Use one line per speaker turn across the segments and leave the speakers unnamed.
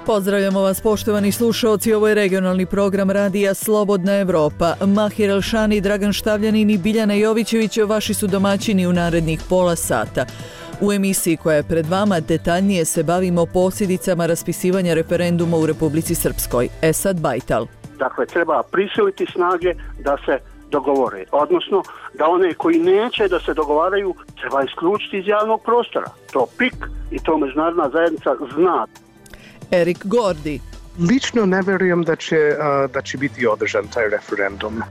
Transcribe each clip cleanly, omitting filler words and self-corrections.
Pozdravljamo vas, poštovani slušaoci, ovo je regionalni program radija Slobodna Evropa. Mahir Elšani, Dragan Štavljanin i Biljana Jovićević vaši su domaćini u narednih pola sata. U emisiji koja je pred vama detaljnije se bavimo posljedicama raspisivanja referenduma u Republici Srpskoj. Esad Bajtal.
Dakle, treba prisiliti snage da se dogovore, odnosno da one koji neće da se dogovaraju treba isključiti iz javnog prostora. To PIK i to međunarodna zajednica zna.
Erik Gordi.
Lično ne vjerujem da će biti održan taj referendum.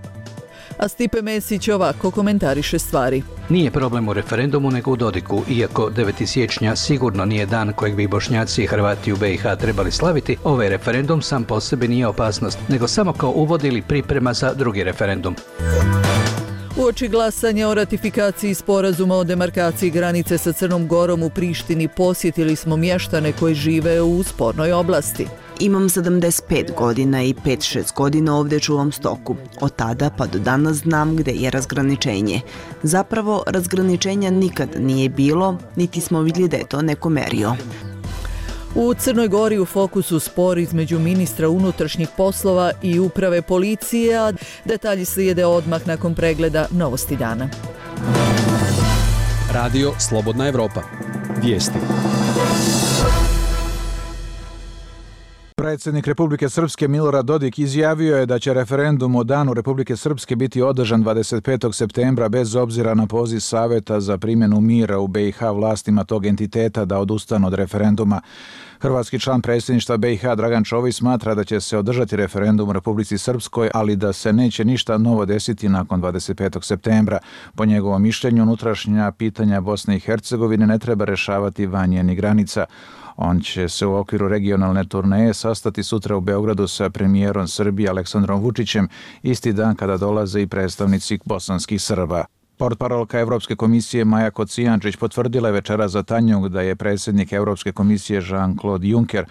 A Stipe Mesić ovako komentariše stvari.
Nije problem u referendumu nego u Dodiku, iako 9. siječnja sigurno nije dan kojeg bi Bošnjaci i Hrvati u BiH trebali slaviti, ovaj referendum sam po sebi nije opasnost, nego samo kao uvod ili priprema za drugi referendum.
Uoči glasanja o ratifikaciji sporazuma o demarkaciji granice sa Crnom Gorom u Prištini posjetili smo mještane koji žive u spornoj oblasti.
Imam 75 godina i 5-6 godina ovdje čuvam stoku. Od tada pa do danas znam gdje je razgraničenje. Zapravo, razgraničenja nikad nije bilo, niti smo vidjeli da je to neko merio.
U Crnoj Gori u fokusu spor između ministra unutrašnjih poslova i uprave policije, a detalji slijede odmah nakon pregleda Novosti dana.
Radio Slobodna Evropa. Vijesti.
Predsjednik Republike Srpske Milorad Dodik izjavio je da će referendum o Danu Republike Srpske biti održan 25. septembra bez obzira na poziv Saveta za primjenu mira u BiH vlastima tog entiteta da odustanu od referenduma. Hrvatski član predsjedništva BiH Dragan Čović smatra da će se održati referendum u Republici Srpskoj, ali da se neće ništa novo desiti nakon 25. septembra. Po njegovom mišljenju, unutrašnja pitanja Bosne i Hercegovine ne treba rešavati van njenih granica. On će se u okviru regionalne turneje sastati sutra u Beogradu sa premijerom Srbije Aleksandrom Vučićem, isti dan kada dolaze i predstavnici bosanskih Srba. Portparolka Evropske komisije Maja Kocijančić potvrdila je večeras za Tanjug da je predsjednik Evropske komisije Jean-Claude Juncker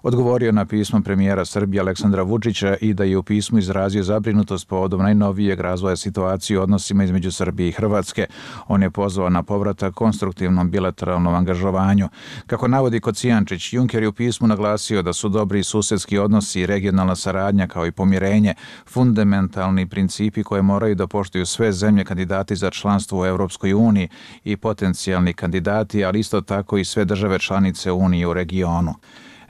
odgovorio na pismo premijera Srbije Aleksandra Vučića i da je u pismu izrazio zabrinutost povodom najnovijeg razvoja situacije u odnosima između Srbije i Hrvatske. On je pozvao na povratak konstruktivnom bilateralnom angažovanju. Kako navodi Kocijančić, Juncker je u pismu naglasio da su dobri susedski odnosi i regionalna saradnja kao i pomirenje fundamentalni principi koje moraju da poštuju sve zemlje kandidati za članstvo u Europskoj uniji i potencijalni kandidati, ali isto tako i sve države članice Unije u regionu.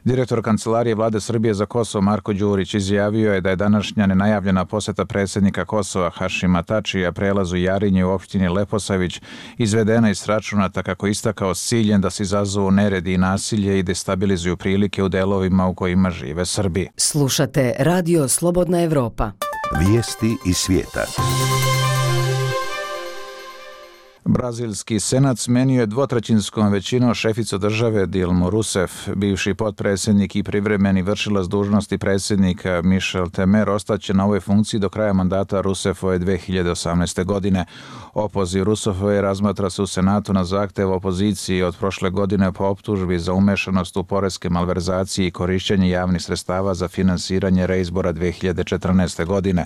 Direktor Kancelarije Vlade Srbije za Kosovo Marko Đurić izjavio je da je današnja nenajavljena posjeta predsjednika Kosova Hašima Tačija prelazu Jarinje u opštini Leposavić izvedena iz računata, kako istakao, s ciljem da se izazovu neredi i nasilje i destabilizuju prilike u delovima u kojima žive Srbi.
Slušate Radio Slobodna Evropa.
Vijesti iz svijeta.
Brazilski senat smenio je 2/3 većinom šeficu države Dilmu Rousseff. Bivši potpredsjednik i privremeni vršilac dužnosti predsjednika Michel Temer ostaće na ovoj funkciji do kraja mandata Rousseffove 2018. godine. Opoziv Rousseffove razmatra se u Senatu na zahtev opozicije od prošle godine po optužbi za umešanost u poreske malverzacije i korišćenje javnih sredstava za finansiranje reizbora 2014. godine.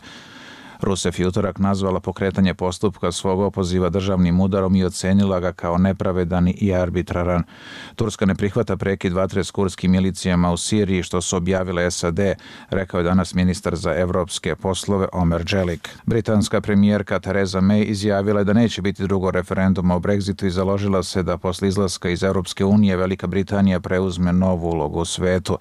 Rousseff je utorak nazvala pokretanje postupka svog opoziva državnim udarom i ocenila ga kao nepravedan i arbitraran. Turska ne prihvata prekid vatre s kurdskim milicijama u Siriji, što su objavile SAD, rekao je danas ministar za evropske poslove Omer Dželik. Britanska premijerka Theresa May izjavila je da neće biti drugo referenduma o Brexitu i založila se da posle izlaska iz Europske unije Velika Britanija preuzme novu ulogu u svetu.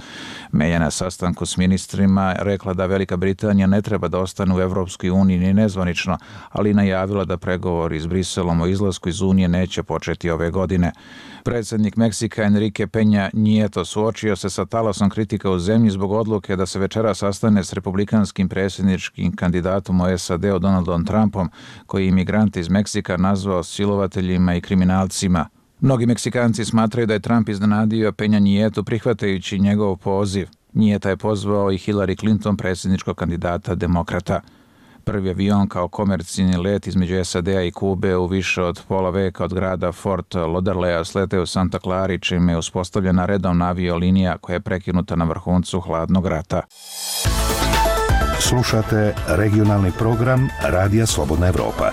May je na sastanku s ministrima rekla da Velika Britanija ne treba da ostane u Evropskoj uniji ni nezvanično, ali najavila da pregovori s Briselom o izlasku iz Unije neće početi ove godine. Predsjednik Meksika Enrique Peña Nieto suočio se sa talasom kritika u zemlji zbog odluke da se večera sastane s republikanskim predsjedničkim kandidatom u SAD-u Donaldom Trumpom, koji imigrante iz Meksika nazvao silovateljima i kriminalcima. Mnogi Meksikanci smatraju da je Trump iznenadio Peña Nietu prihvatajući njegov poziv. Nieta je pozvao i Hillary Clinton, predsjedničkog kandidata demokrata. Prvi avion kao komercijalni let između SAD-a i Kube u više od pola veka od grada Fort Lauderdale sleteo u Santa Clara, čime je uspostavljena redovna aviolinija koja je prekinuta na vrhuncu hladnog rata.
Slušate regionalni program Radija Slobodna Evropa.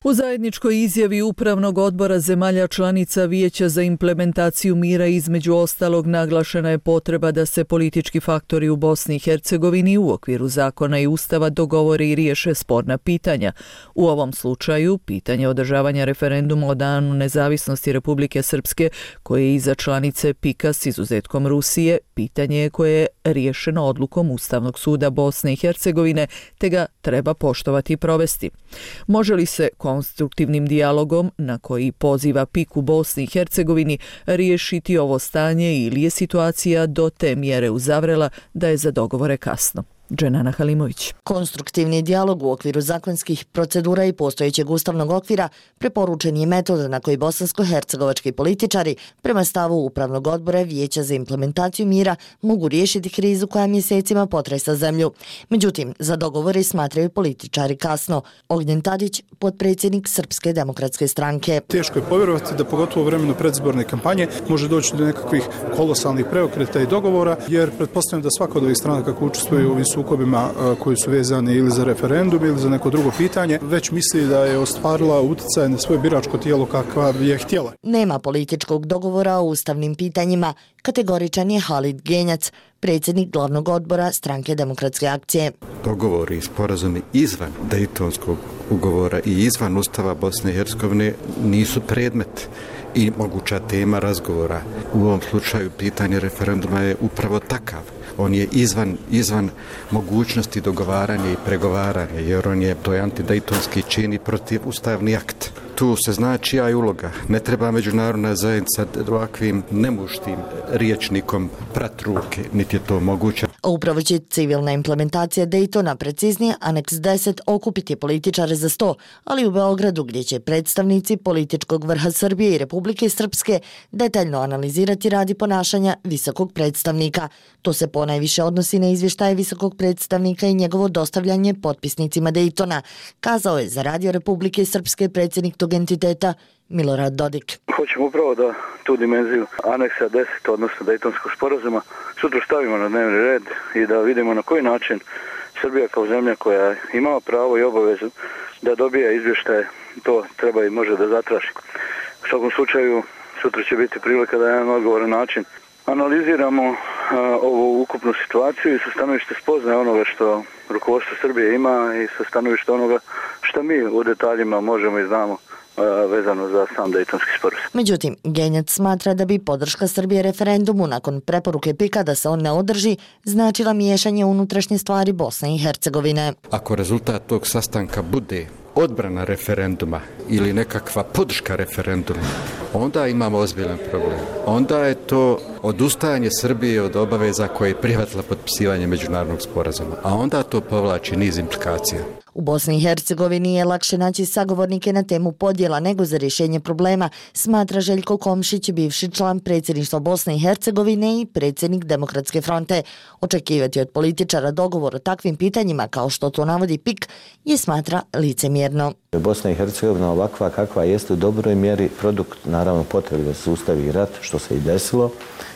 U zajedničkoj izjavi Upravnog odbora zemalja članica Vijeća za implementaciju mira između ostalog naglašena je potreba da se politički faktori u Bosni i Hercegovini u okviru zakona i ustava dogovore i riješe sporna pitanja. U ovom slučaju, pitanje održavanja referenduma o danu nezavisnosti Republike Srpske, koje je iza članice PIK-a s izuzetkom Rusije, pitanje je koje je riješeno odlukom Ustavnog suda Bosne i Hercegovine, te ga treba poštovati i provesti. Može li se konstruktivnim dijalogom, na koji poziva PIK u Bosni i Hercegovini, riješiti ovo stanje ili je situacija do te mjere uzavrela da je za dogovore kasno? Dženana Halimović.
Konstruktivni dijalog u okviru zakonskih procedura i postojećeg ustavnog okvira preporučen je metod na koji bosansko-hercegovački političari, prema stavu Upravnog odbora Vijeća za implementaciju mira, mogu riješiti krizu koja mjesecima potresa zemlju. Međutim, za dogovore smatraju političari kasno. Ognjen Tadić, potpredsjednik Srpske demokratske stranke.
Teško je povjerovati da pogotovo u vremenu predizborne kampanje može doći do nekakvih kolosalnih preokreta i dogovora, jer pretpostavljam da svaka od ovih strana kako učestvuju u ovim sukobima koji su vezani ili za referendum ili za neko drugo pitanje, već misli da je ostvarila utjecaj na svoje biračko tijelo kakva je htjela.
Nema političkog dogovora o ustavnim pitanjima, kategoričan je Halid Genjac, predsjednik glavnog odbora Stranke demokratske akcije.
Dogovori i sporazumi izvan Dejtonskog ugovora i izvan Ustava Bosne i Hercegovine nisu predmet i moguća tema razgovora. U ovom slučaju pitanje referenduma je upravo takav. On je izvan mogućnosti dogovaranja i pregovaranja, jer on je, to je antidejtonski čin i protivustavni akt. Tu se zna čija je uloga. Ne treba međunarodna zajednica ovakvim nemuštim riječnikom prat ruke, niti je to moguće.
Upravo će civilna implementacija Dejtona, preciznije Aneks 10, okupiti političare za 100, ali u Beogradu, gdje će predstavnici političkog vrha Srbije i Republike Srpske detaljno analizirati rad i ponašanja visokog predstavnika. To se ponajviše odnosi na izvještaje visokog predstavnika i njegovo dostavljanje potpisnicima Dejtona, kazao je za Radio Republike Srpske predsjednik tog entiteta Milorad Dodik.
Hoćemo upravo da tu dimenziju aneksa 10, odnosno Dejtonskog sporazuma, sutra stavimo na dnevni red i da vidimo na koji način Srbija kao zemlja koja ima pravo i obavezu da dobije izvještaje, to treba i može da zatraži. U svakom slučaju, sutra će biti prilika da na jedan odgovoran način analiziramo ovu ukupnu situaciju i sa stanovište spoznaje onoga što rukovodstvo Srbije ima i sa stanovište onoga što mi u detaljima možemo i znamo vezano za sam Dejtonski sporazum.
Međutim, Genjac smatra da bi podrška Srbije referendumu nakon preporuke PIK-a da se on ne održi značila miješanje unutrašnje stvari Bosne i Hercegovine.
Ako rezultat tog sastanka bude odbrana referenduma ili nekakva podrška referenduma, onda imamo ozbiljan problem. Onda je to odustajanje Srbije od obaveza koje je prihvatila potpisivanje međunarodnog sporazuma, a onda to povlači niz implikacija.
U Bosni i Hercegovini je lakše naći sagovornike na temu podjela nego za rješenje problema, smatra Željko Komšić, bivši član predsjedništva Bosne i Hercegovine i predsjednik Demokratske fronte. Očekivati od političara dogovor o takvim pitanjima, kao što to navodi PIK, je smatra licemjerno.
Bosna i Hercegovina ovakva kakva jeste u dobroj mjeri produkt, naravno, potrebe da se ustavi rat, što se i desilo,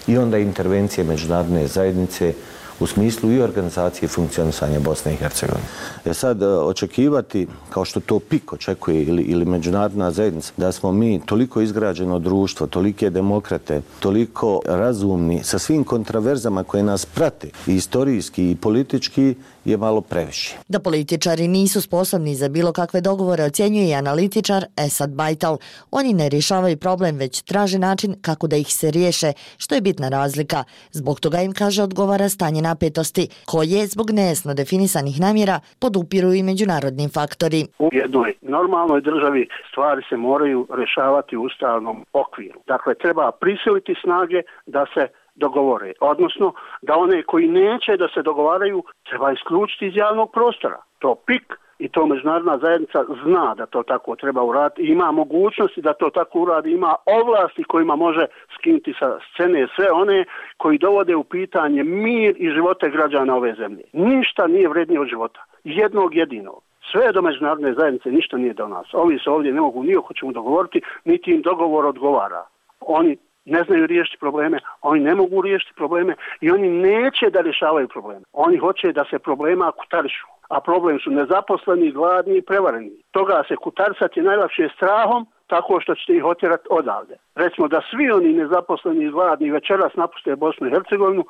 i onda intervencije međunarodne zajednice u smislu i organizacije i funkcionisanja Bosne i Hercegovine. Sad, očekivati, kao što to PIK očekuje ili međunarodna zajednica, da smo mi toliko izgrađeno društvo, tolike demokrate, toliko razumni, sa svim kontraverzama koje nas prate, i istorijski i politički, je malo previše.
Da političari nisu sposobni za bilo kakve dogovore ocjenjuje i analitičar Esad Bajtal. Oni ne rješavaju problem, već traže način kako da ih se riješe, što je bitna razlika. Zbog toga im, kaže, odgovara stanje napetosti, koje zbog nejasno definisanih namjera podupiru i međunarodni faktori.
U jednoj normalnoj državi stvari se moraju rješavati u ustavnom okviru. Dakle, treba prisiliti snage da se dogovore, odnosno da one koji neće da se dogovaraju treba isključiti iz javnog prostora. To PIK i to međunarodna zajednica zna da to tako treba uraditi, ima mogućnosti da to tako uradi, ima ovlasti kojima može skinuti sa scene sve one koji dovode u pitanje mir i živote građana ove zemlje. Ništa nije vrednije od života, jednog jedinog. Sve do međunarodne zajednice ništa nije do nas. Ovi se ovdje ne mogu ni oko čemu dogovoriti, niti im dogovor odgovara. Oni ne znaju riješiti probleme, oni ne mogu riješiti probleme i oni neće da rješavaju probleme. Oni hoće da se problema kutarišu. a problem su nezaposleni, gladni i prevareni. Toga se kutarsati najlakše strahom, tako što ćete ih otjerati odavde. Recimo da svi oni nezaposleni i gladni večeras napuste Bosnu i Hercegovinu,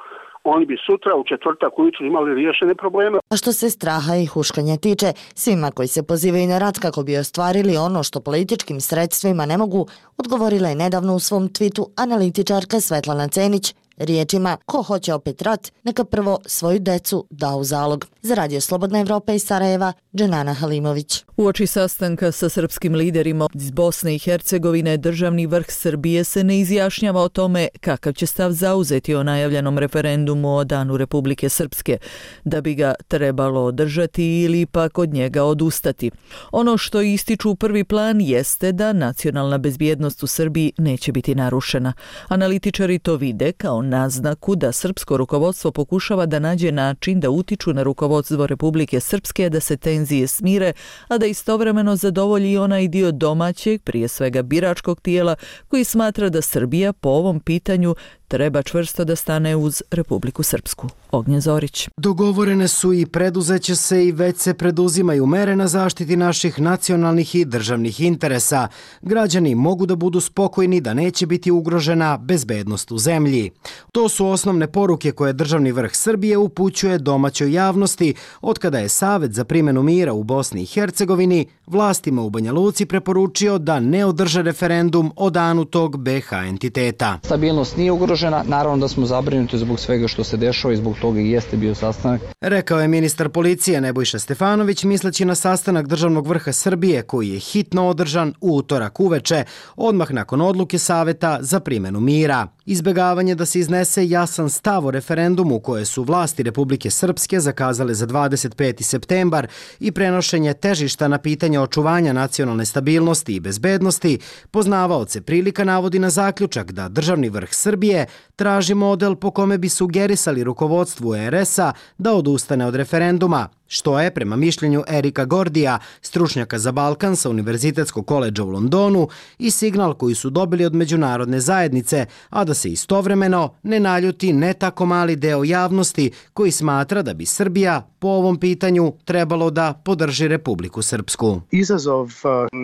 oni bi sutra u četvrtak ujutru imali riješene probleme.
A što se straha i huškanja tiče, svima koji se pozivaju na rat kako bi ostvarili ono što političkim sredstvima ne mogu, odgovorila je nedavno u svom twitu analitičarka Svetlana Cenić riječima: ko hoće opet rat, neka prvo svoju decu da u zalog. Za Radio Slobodna Evropa iz Sarajeva, Dženana Halimović.
Uoči sastanka sa srpskim liderima iz Bosne i Hercegovine, državni vrh Srbije se ne izjašnjava o tome kakav će stav zauzeti o najavljenom referendumu o Danu Republike Srpske, da bi ga trebalo održati ili pak od njega odustati. Ono što ističu u prvi plan jeste da nacionalna bezbjednost u Srbiji neće biti narušena. Analitičari to vide kao naznaku da srpsko rukovodstvo pokušava da nađe način da utiču na rukovodstvo Republike Srpske da se tenzije smire, a da istovremeno zadovolji onaj dio domaćeg, prije svega biračkog tijela, koji smatra da Srbija po ovom pitanju treba čvrsto da stane uz Republiku Srpsku. Ognjen Zorić.
Dogovorene su i preduzeće se i već se preduzimaju mere na zaštiti naših nacionalnih i državnih interesa. Građani mogu da budu spokojni da neće biti ugrožena bezbednost u zemlji. To su osnovne poruke koje državni vrh Srbije upućuje domaćoj javnosti otkada je Savet za primjenu mira u Bosni i Hercegovini vlastima u Banja Luci preporučio da ne održe referendum o danu tog BiH entiteta.
Stabilnost nije ugrožena, naravno da smo zabrinuti zbog svega što se dešava i zbog toga i jeste bio sastanak.
Rekao je ministar policije Nebojša Stefanović misleći na sastanak državnog vrha Srbije koji je hitno održan u utorak uveče, odmah nakon odluke Saveta za primjenu mira. Izbjegavanje da se iznese jasan stav o referendumu koje su vlasti Republike Srpske zakazale za 25. septembar i prenošenje težišta na pitanje očuvanja nacionalne stabilnosti i bezbednosti, poznavaoce prilika navodi na zaključak da državni vrh Srbije traži model po kome bi sugerisali rukovodstvu RS-a da odustane od referenduma, što je, prema mišljenju Erika Gordija, stručnjaka za Balkan sa Univerzitetskog koledža u Londonu, i signal koji su dobili od međunarodne zajednice, a da se istovremeno ne naljuti ne tako mali deo javnosti koji smatra da bi Srbija po ovom pitanju trebalo da podrži Republiku Srpsku.
Izazov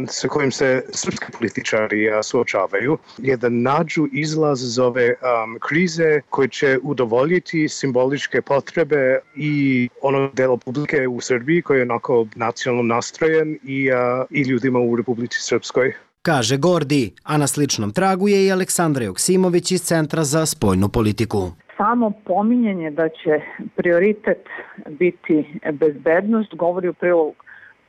sa kojim se srpski političari suočavaju je da nađu izlaz iz ove krize koji će udovoljiti simboličke potrebe i onog dela publike u Srbiji koji je onako nacionalno nastrojen i ljudima u Republici Srpskoj.
Kaže Gordi, a na sličnom tragu je i Aleksandra Joksimović iz Centra za spoljnu politiku.
Samo pominjanje da će prioritet biti bezbednost govori u prilog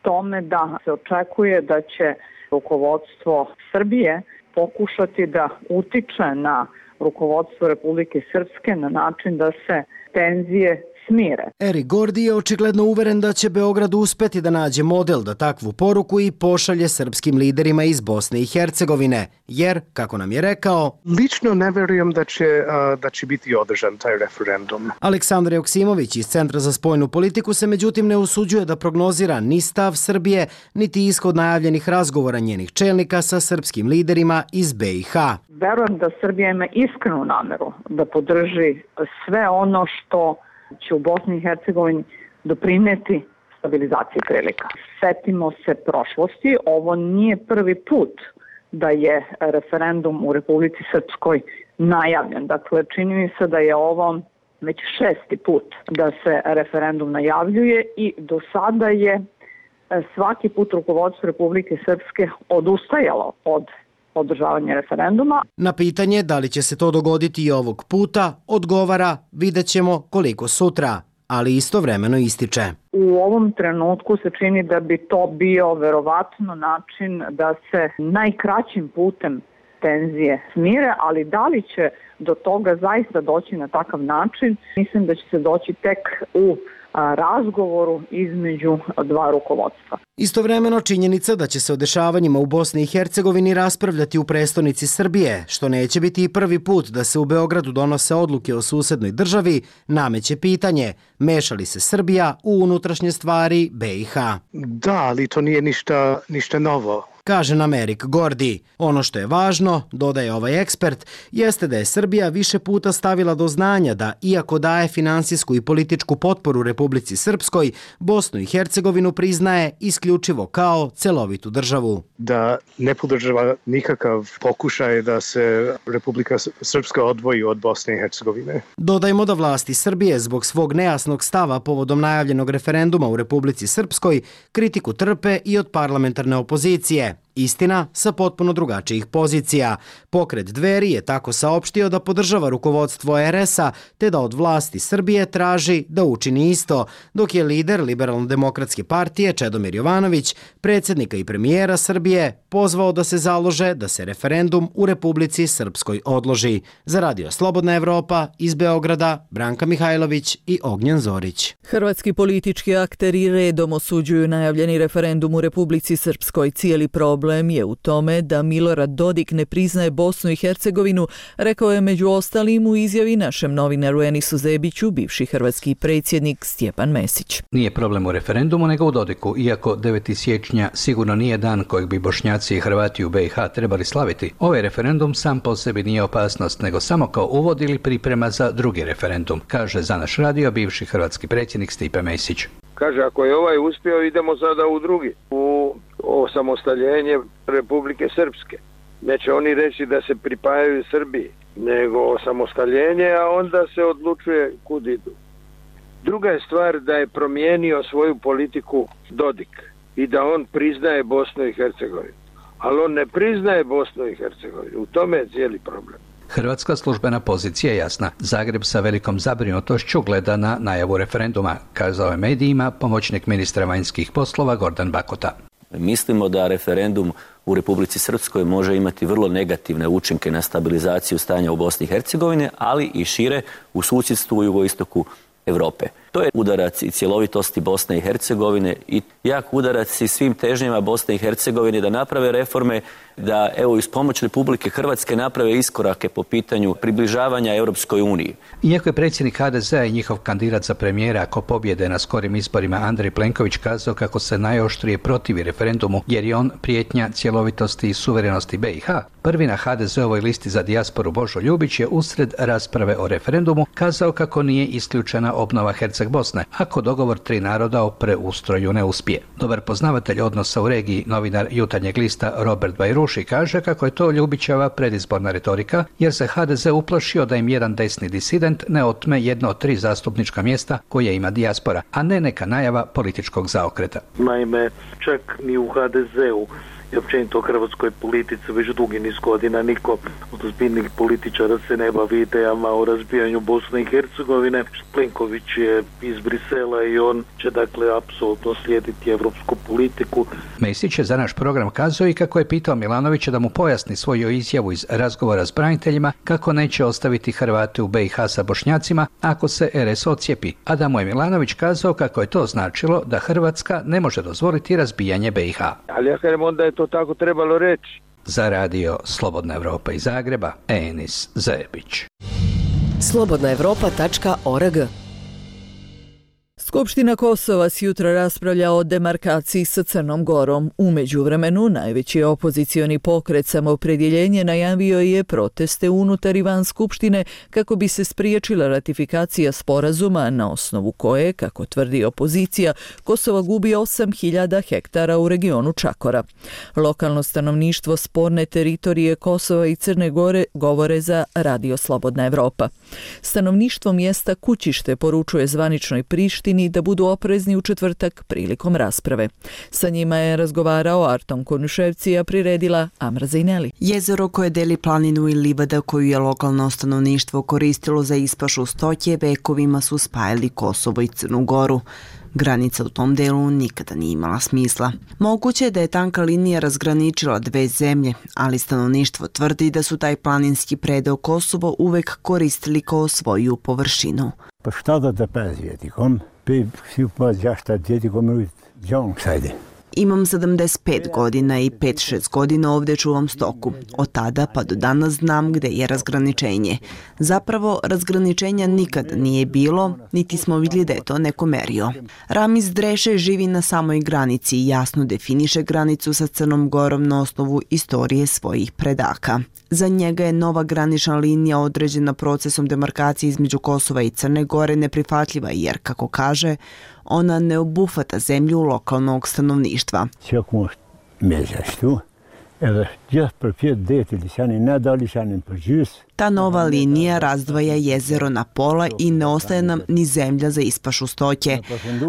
tome da se očekuje da će rukovodstvo Srbije pokušati da utiče na rukovodstvo Republike Srpske na način da se tenzije smire.
Erik Gordi je očigledno uveren da će Beograd uspeti da nađe model da takvu poruku i pošalje srpskim liderima iz Bosne i Hercegovine, jer, kako nam je rekao,
lično ne verujem da će biti održan taj referendum.
Aleksandar Joksimović iz Centra za spoljnu politiku se međutim ne usuđuje da prognozira ni stav Srbije, niti ishod najavljenih razgovora njenih čelnika sa srpskim liderima iz BiH.
Verujem da Srbija ima iskrenu nameru da podrži sve ono što će u Bosni i Hercegovini doprineti stabilizaciji prilika. Setimo se prošlosti, ovo nije prvi put da je referendum u Republici Srpskoj najavljen. Dakle, čini mi se da je ovo već 6. put da se referendum najavljuje i do sada je svaki put rukovodstvo Republike Srpske odustajalo od održavanja referenduma.
Na pitanje da li će se to dogoditi i ovog puta, odgovara: vidjet ćemo koliko sutra, ali istovremeno ističe.
U ovom trenutku se čini da bi to bio verovatno način da se najkraćim putem tenzije smire, ali da li će do toga zaista doći na takav način, mislim da će se doći tek u razgovoru između dva rukovodstva.
Istovremeno činjenica da će se o dešavanjima u Bosni i Hercegovini raspravljati u prestonici Srbije, što neće biti i prvi put da se u Beogradu donose odluke o susednoj državi, nameće pitanje: meša li se Srbija u unutrašnje stvari BiH?
Da, ali to nije ništa novo.
kaže nam Erik Gordi. Ono što je važno, dodaje ovaj ekspert, jeste da je Srbija više puta stavila do znanja da, iako daje finansijsku i političku potporu Republici Srpskoj, Bosnu i Hercegovinu priznaje isključivo kao celovitu državu.
Da ne podržava nikakav pokušaj da se Republika Srpska odvoji od Bosne i Hercegovine.
Dodajmo da vlasti Srbije zbog svog nejasnog stava povodom najavljenog referenduma u Republici Srpskoj kritiku trpe i od parlamentarne opozicije. Istina, sa potpuno drugačijih pozicija. Pokret Dveri je tako saopštio da podržava rukovodstvo RS-a te da od vlasti Srbije traži da učini isto, dok je lider Liberalno-demokratske partije Čedomir Jovanović, predsjednika i premijera Srbije, pozvao da se založe da se referendum u Republici Srpskoj odloži. Za Radio Slobodna Evropa iz Beograda, Branka Mihajlović i Ognjen Zorić.
Hrvatski politički akteri redom osuđuju najavljeni referendum u Republici Srpskoj. Cijeli problem je u tome da Milorad Dodik ne priznaje Bosnu i Hercegovinu, rekao je među ostalim u izjavi našem novinaru Enisu Zebiću bivši hrvatski predsjednik Stjepan Mesić.
Nije problem u referendumu nego u Dodiku, iako 9. siječnja sigurno nije dan kojeg bi Bošnjaci i Hrvati u BiH trebali slaviti. Ovaj referendum sam po sebi nije opasnost, nego samo kao uvod ili priprema za drugi referendum, kaže za naš radio bivši hrvatski predsjednik Stipe Mesić.
Kaže, ako je ovaj uspio, idemo sada u drugi, u osamostaljenje Republike Srpske. Neće oni reći da se pripajaju Srbiji, nego osamostaljenje, a onda se odlučuje kud idu. Druga je stvar da je promijenio svoju politiku Dodik i da on priznaje Bosnu i Hercegovinu. Ali on ne priznaje Bosnu i Hercegovinu. U tome je cijeli problem.
Hrvatska službena pozicija je jasna. Zagreb sa velikom zabrinutošću gleda na najavu referenduma, kazao je medijima pomoćnik ministra vanjskih poslova Gordan Bakota.
Mislimo da referendum u Republici Srpskoj može imati vrlo negativne učinke na stabilizaciju stanja u Bosni i Hercegovini, ali i šire u susjedstvu u jugoistoku Europe. To je udarac i cjelovitosti Bosne i Hercegovine i jak udarac i svim težnjama Bosne i Hercegovine da naprave reforme, da evo iz pomoć Republike Hrvatske naprave iskorake po pitanju približavanja Europskoj uniji.
Iako je predsjednik HDZ-a i njihov kandidat za premijera ako pobjede na skorim izborima Andrej Plenković kazao kako se najoštrije protivi referendumu jer je on prijetnja cjelovitosti i suverenosti BiH, prvi na HDZ-ovoj listi za dijasporu Božo Ljubić je usred rasprave o referendumu kazao kako nije isključena obnova Herceg-Bosne ako dogovor tri naroda o preustroju ne uspije. Dobar poznavatelj odnosa u regiji, novinar Jutarnjeg lista Robert Bajruši kaže kako je to Ljubićeva predizborna retorika jer se HDZ uplašio da im jedan desni disident ne otme jedno od 3 zastupnička mjesta koje ima dijaspora, a ne neka najava političkog zaokreta.
Naime, čak ni u HDZ-u i općenito u hrvatskoj politici već dugi niz godina niko od ozbiljnih političara se ne bavi idejama o razbijanju Bosne i Hercegovine. Plenković je iz Brisela i on će dakle apsolutno slijediti evropsku politiku.
Mesić je za naš program kazao i kako je pitao Milanovića da mu pojasni svoju izjavu iz razgovora s braniteljima kako neće ostaviti Hrvate u BiH sa Bošnjacima ako se RS ocijepi, a da mu je Milanović kazao kako je to značilo da Hrvatska ne može dozvoliti razbijanje BiH.
Ali ja kažem onda je to tako trebalo reći.
Za radio Slobodna Evropa iz Zagreba, Enis Zebić.
slobodnaevropa.org.
Skupština Kosova sjutra raspravlja o demarkaciji sa Crnom Gorom. U međuvremenu, najveći opozicioni pokret Samoopredjeljenje najavio je proteste unutar i van Skupštine kako bi se spriječila ratifikacija sporazuma na osnovu koje, kako tvrdi opozicija, Kosovo gubi 8.000 hektara u regionu Čakora. Lokalno stanovništvo sporne teritorije Kosova i Crne Gore govore za Radio Slobodna Evropa. Stanovništvo mjesta Kućište poručuje zvaničnoj Prištini da budu oprezni u četvrtak prilikom rasprave. Sa njima je razgovarao Arton Konuševci, a priredila Amra Zejneli.
Jezero koje deli planinu i livada koju je lokalno stanovništvo koristilo za ispašu stoke vekovima su spajali Kosovo i Crnu Goru. Granica u tom delu nikada nije imala smisla. Moguće je da je tanka linija razgraničila dve zemlje, ali stanovništvo tvrdi da su taj planinski predeo Kosovo uvek koristili kao svoju površinu.
Pa šta da te pezvjetikom?
Imam 75 godina i 5-6 godina ovdje čuvam stoku. Od tada pa do danas znam gdje je razgraničenje. Zapravo, razgraničenja nikad nije bilo, niti smo vidjeli da je to neko merio. Ramiz Dreše živi na samoj granici i jasno definiše granicu sa Crnom Gorom na osnovu istorije svojih predaka. Za njega je nova granična linija određena procesom demarkacije između Kosova i Crne Gore neprihvatljiva jer, kako kaže, ona ne obuhvata zemlju lokalnog stanovništva. Ta nova linija razdvaja jezero na pola i ne ostaje nam ni zemlja za ispašu stoke.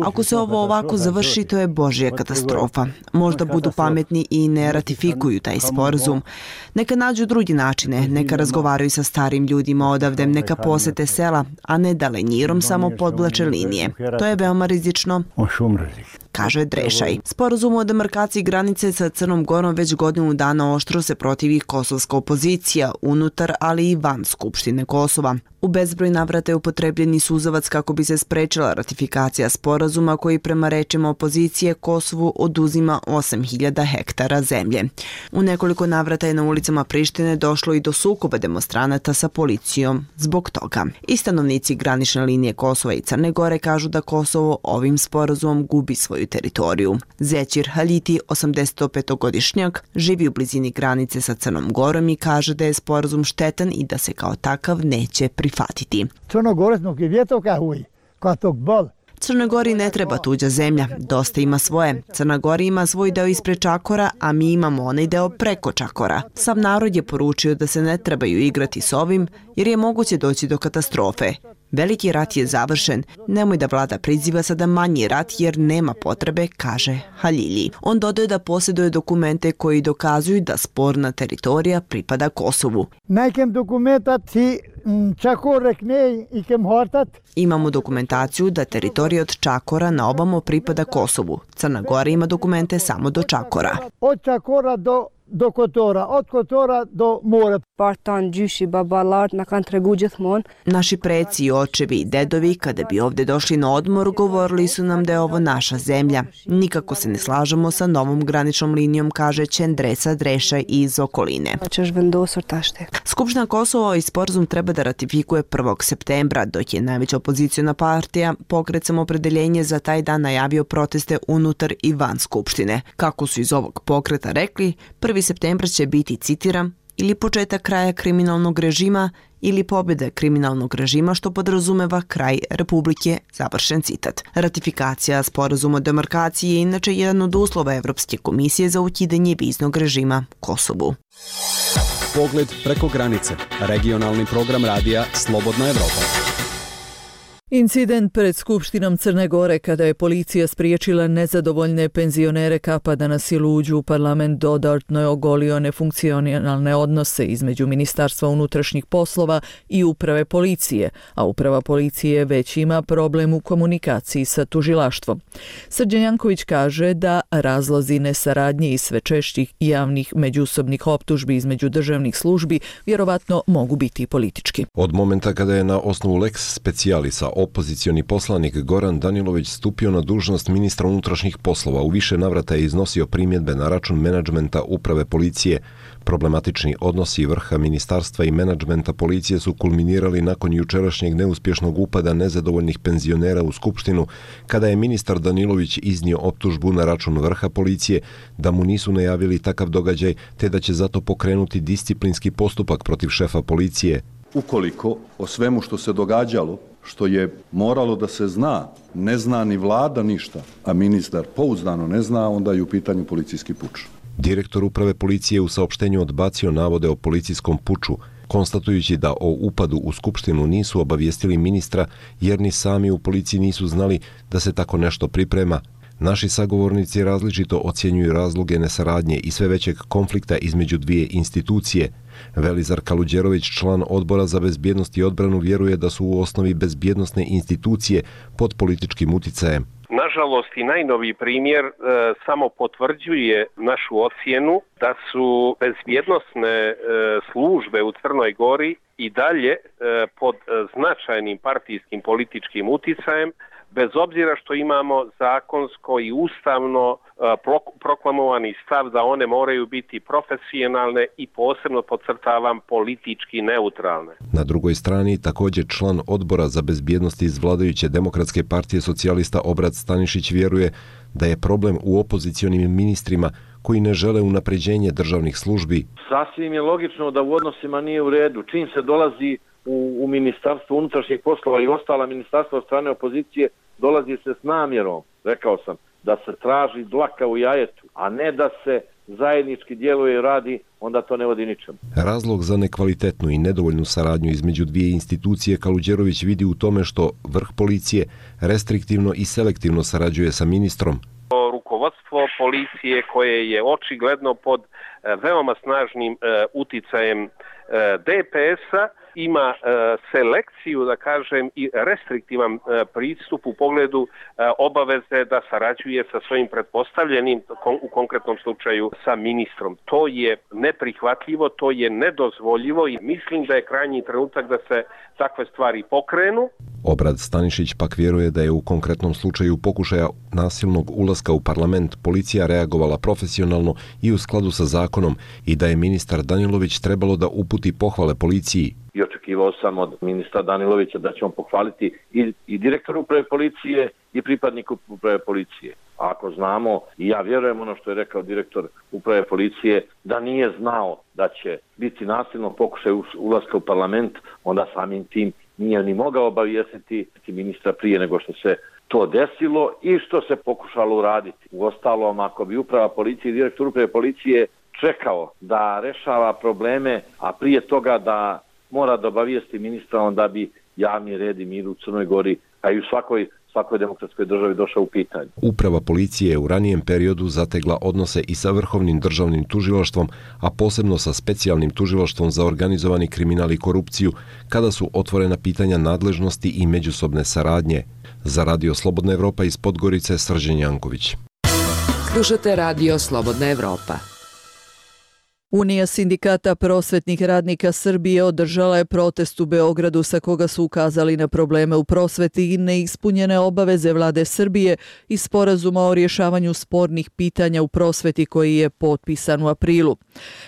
Ako se ovo ovako završi, to je božja katastrofa. Možda budu pametni i ne ratifikuju taj sporazum. Neka nađu drugi načine, neka razgovaraju sa starim ljudima odavde, neka posete sela, a ne da lenjirom samo podvlače linije. To je veoma rizično, kaže Drešaj. Sporazum o demarkaciji granice sa Crnom Gorom već godinu dana oštro se protivi kosovska opozicija unutar, ali i van Skupštine Kosova. U bezbroj navrata je upotrebljeni suzavac kako bi se sprečila ratifikacija sporazuma koji prema rečima opozicije Kosovu oduzima 8.000 hektara zemlje. U nekoliko navrata je na ulicama Prištine došlo i do sukoba demonstranata sa policijom zbog toga. I stanovnici granične linije Kosova i Crne Gore kažu da Kosovo ovim sporazumom gubi svoju teritoriju. Zećir Haliti, 85-godišnjak, živi u blizini granice sa Crnom Gorom i kaže da je sporazum štetan i da se kao takav neće prihvatiti. Crnoj Gori ne treba tuđa zemlja, dosta ima svoje. Crna Gora ima svoj deo ispred Čakora, a mi imamo onaj deo preko Čakora. Sav narod je poručio da se ne trebaju igrati s ovim, jer je moguće doći do katastrofe. Veliki rat je završen, nemoj da vlada priziva sada manji rat jer nema potrebe, kaže Halilji. On dodaje da posjeduje dokumente koji dokazuju da sporna teritorija pripada Kosovu. Imamo dokumentaciju da teritorija od Čakora na obamo pripada Kosovu. Crna Gora ima dokumente samo do Čakora.
Od Čakora do Kotora, od Kotora do mora.
Naši preci, očevi i dedovi, kada bi ovdje došli na odmor, govorili su nam da je ovo naša zemlja. Nikako se ne slažemo sa novom graničnom linijom, kaže Čendresa Drešaj iz okoline. Skupština Kosova i sporazum treba da ratifikuje 1. septembra, dok je najveća opoziciona partija Pokret Samoopredeljenje za taj dan najavio proteste unutar i van Skupštine. Kako su iz ovog pokreta rekli, 1. septembra će biti, citiram, ili početak kraja kriminalnog režima ili pobjeda kriminalnog režima, što podrazumeva kraj Republike, završen citat. Ratifikacija sporazuma o demarkaciji je inače jedan od uslova Evropske komisije za ukidanje viznog režima Kosovu.
Pogled preko granice. Regionalni program radija Slobodna Evropa.
Incident pred Skupštinom Crne Gore kada je policija spriječila nezadovoljne penzionere Kapa da na silu uđu u parlament dodatno je ogolio nefunkcionalne odnose između Ministarstva unutrašnjih poslova i uprave policije, a uprava policije već ima problem u komunikaciji sa tužilaštvom. Srđan Janković kaže da razlozi nesaradnje i sve češćih javnih međusobnih optužbi između državnih službi vjerovatno mogu biti politički.
Od momenta kada je na osnovu lex specialisa opozicioni poslanik Goran Danilović stupio na dužnost ministra unutrašnjih poslova, u više navrata je iznosio primjedbe na račun menadžmenta uprave policije. Problematični odnosi vrha ministarstva i menadžmenta policije su kulminirali nakon jučerašnjeg neuspješnog upada nezadovoljnih penzionera u Skupštinu, kada je ministar Danilović iznio optužbu na račun vrha policije da mu nisu najavili takav događaj, te da će zato pokrenuti disciplinski postupak protiv šefa policije.
Ukoliko o svemu što se događalo, što je moralo da se zna, ne zna ni vlada ništa, a ministar pouzdano ne zna, onda je u pitanju policijski puč.
Direktor uprave policije u saopštenju odbacio navode o policijskom puču, konstatujući da o upadu u Skupštinu nisu obavijestili ministra jer ni sami u policiji nisu znali da se tako nešto priprema. Naši sagovornici različito ocjenjuju razloge nesaradnje i sve većeg konflikta između dvije institucije. Velizar Kaluđerović, član Odbora za bezbjednost i odbranu, vjeruje da su u osnovi bezbjednosne institucije pod političkim uticajem.
Nažalost i najnoviji primjer samo potvrđuje našu ocjenu da su bezbjednosne službe u Crnoj Gori i dalje pod značajnim partijskim političkim uticajem, bez obzira što imamo zakonsko i ustavno proklamovani stav da one moraju biti profesionalne i posebno podcrtavam politički neutralne.
Na drugoj strani također član odbora za bezbjednost iz vladajuće Demokratske partije socijalista Obrad Stanišić vjeruje da je problem u opozicionim ministrima koji ne žele unapređenje državnih službi.
Sasvim je logično da u odnosima nije u redu. Čim se dolazi u Ministarstvo unutrašnjih poslova i ostala ministarstva od strane opozicije, dolazi se s namjerom, rekao sam, da se traži dlaka u jajetu, a ne da se zajednički djeluje i radi, onda to ne vodi ničemu.
Razlog za nekvalitetnu i nedovoljnu saradnju između dvije institucije Kaluđerović vidi u tome što vrh policije restriktivno i selektivno sarađuje sa ministrom.
Rukovodstvo policije koje je očigledno pod veoma snažnim uticajem DPS-a ima selekciju, da kažem, i restriktivan pristup u pogledu obaveze da sarađuje sa svojim pretpostavljenim, u konkretnom slučaju sa ministrom. To je neprihvatljivo, to je nedozvoljivo i mislim da je krajnji trenutak da se takve stvari pokrenu.
Obrad Stanišić pak vjeruje da je u konkretnom slučaju pokušaja nasilnog ulaska u parlament policija reagovala profesionalno i u skladu sa zakonom i da je ministar Danilović trebalo da uputi pohvale policiji.
I očekivao sam od ministra Danilovića da će on pohvaliti i direktoru uprave policije i pripadniku uprave policije. A ako znamo, i ja vjerujem ono što je rekao direktor uprave policije, da nije znao da će biti nasilno pokušaj ulaska u parlament, onda samim tim nije ni mogao obavijestiti ministra prije nego što se to desilo i što se pokušalo uraditi. Uostalom, ako bi uprava policije i direktor uprave policije čekao da rešava probleme, a prije toga da mora da obavijesti ministra, onda bi javni red i mir u Crnoj Gori, a i u svakoj demokratskoj državi došao u pitanje.
Uprava policije je u ranijem periodu zategla odnose i sa Vrhovnim državnim tužilaštvom, a posebno sa Specijalnim tužilaštvom za organizovani kriminal i korupciju, kada su otvorena pitanja nadležnosti i međusobne saradnje. Za Radio Slobodna Evropa iz Podgorice, Srđan Janković.
Slušate Radio Slobodna Evropa.
Unija sindikata prosvetnih radnika Srbije održala je protest u Beogradu sa koga su ukazali na probleme u prosveti i neispunjene obaveze vlade Srbije i sporazuma o rješavanju spornih pitanja u prosveti koji je potpisan u aprilu.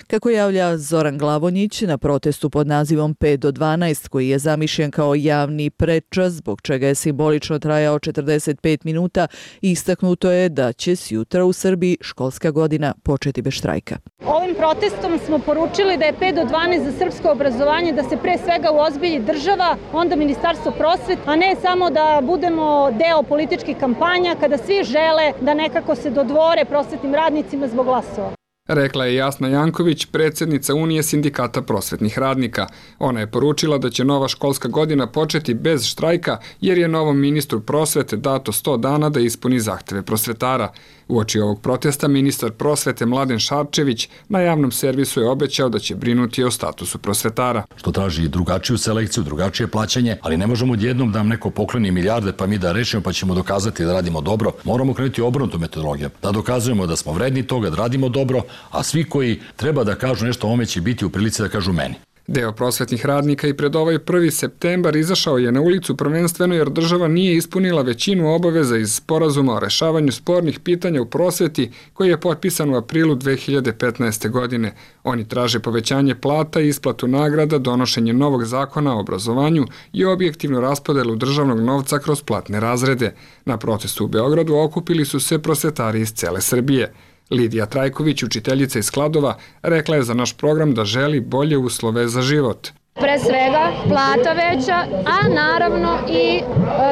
Kako javlja Zoran Glavonjić, na protestu pod nazivom 5 do 12 koji je zamišljen kao javni prečas, zbog čega je simbolično trajao 45 minuta, istaknuto je da će sjutra u Srbiji školska godina početi bez štrajka.
Ovim protestom smo poručili da je 5 do 12 za srpsko obrazovanje, da se pre svega uozbilji država, onda Ministarstvo prosvete, a ne samo da budemo deo političkih kampanja kada svi žele da nekako se dodvore prosvetnim radnicima zbog glasova.
Rekla je Jasna Janković, predsjednica Unije sindikata prosvetnih radnika. Ona je poručila da će nova školska godina početi bez štrajka jer je novom ministru prosvete dato 100 dana da ispuni zahteve prosvetara. Uoči ovog protesta ministar prosvete Mladen Šarčević na javnom servisu je obećao da će brinuti o statusu prosvetara.
Što traži drugačiju selekciju, drugačije plaćanje, ali ne možemo odjednom da nam neko pokloni milijarde pa mi da rešimo pa ćemo dokazati da radimo dobro. Moramo krenuti obrnutu metodologiju, da dokazujemo da smo vredni toga, da radimo dobro, a svi koji treba da kažu nešto o ome će biti u prilici da kažu meni.
Deo prosvetnih radnika i pred ovaj 1. septembar izašao je na ulicu prvenstveno jer država nije ispunila većinu obaveza iz sporazuma o rešavanju spornih pitanja u prosveti koji je potpisan u aprilu 2015. godine. Oni traže povećanje plata i isplatu nagrada, donošenje novog zakona o obrazovanju i objektivnu raspodelu državnog novca kroz platne razrede. Na protestu u Beogradu okupili su se prosvetari iz cele Srbije. Lidija Trajković, učiteljica iz Kladova, rekla je za naš program da želi bolje uslove za život.
Pre svega plata veća, a naravno i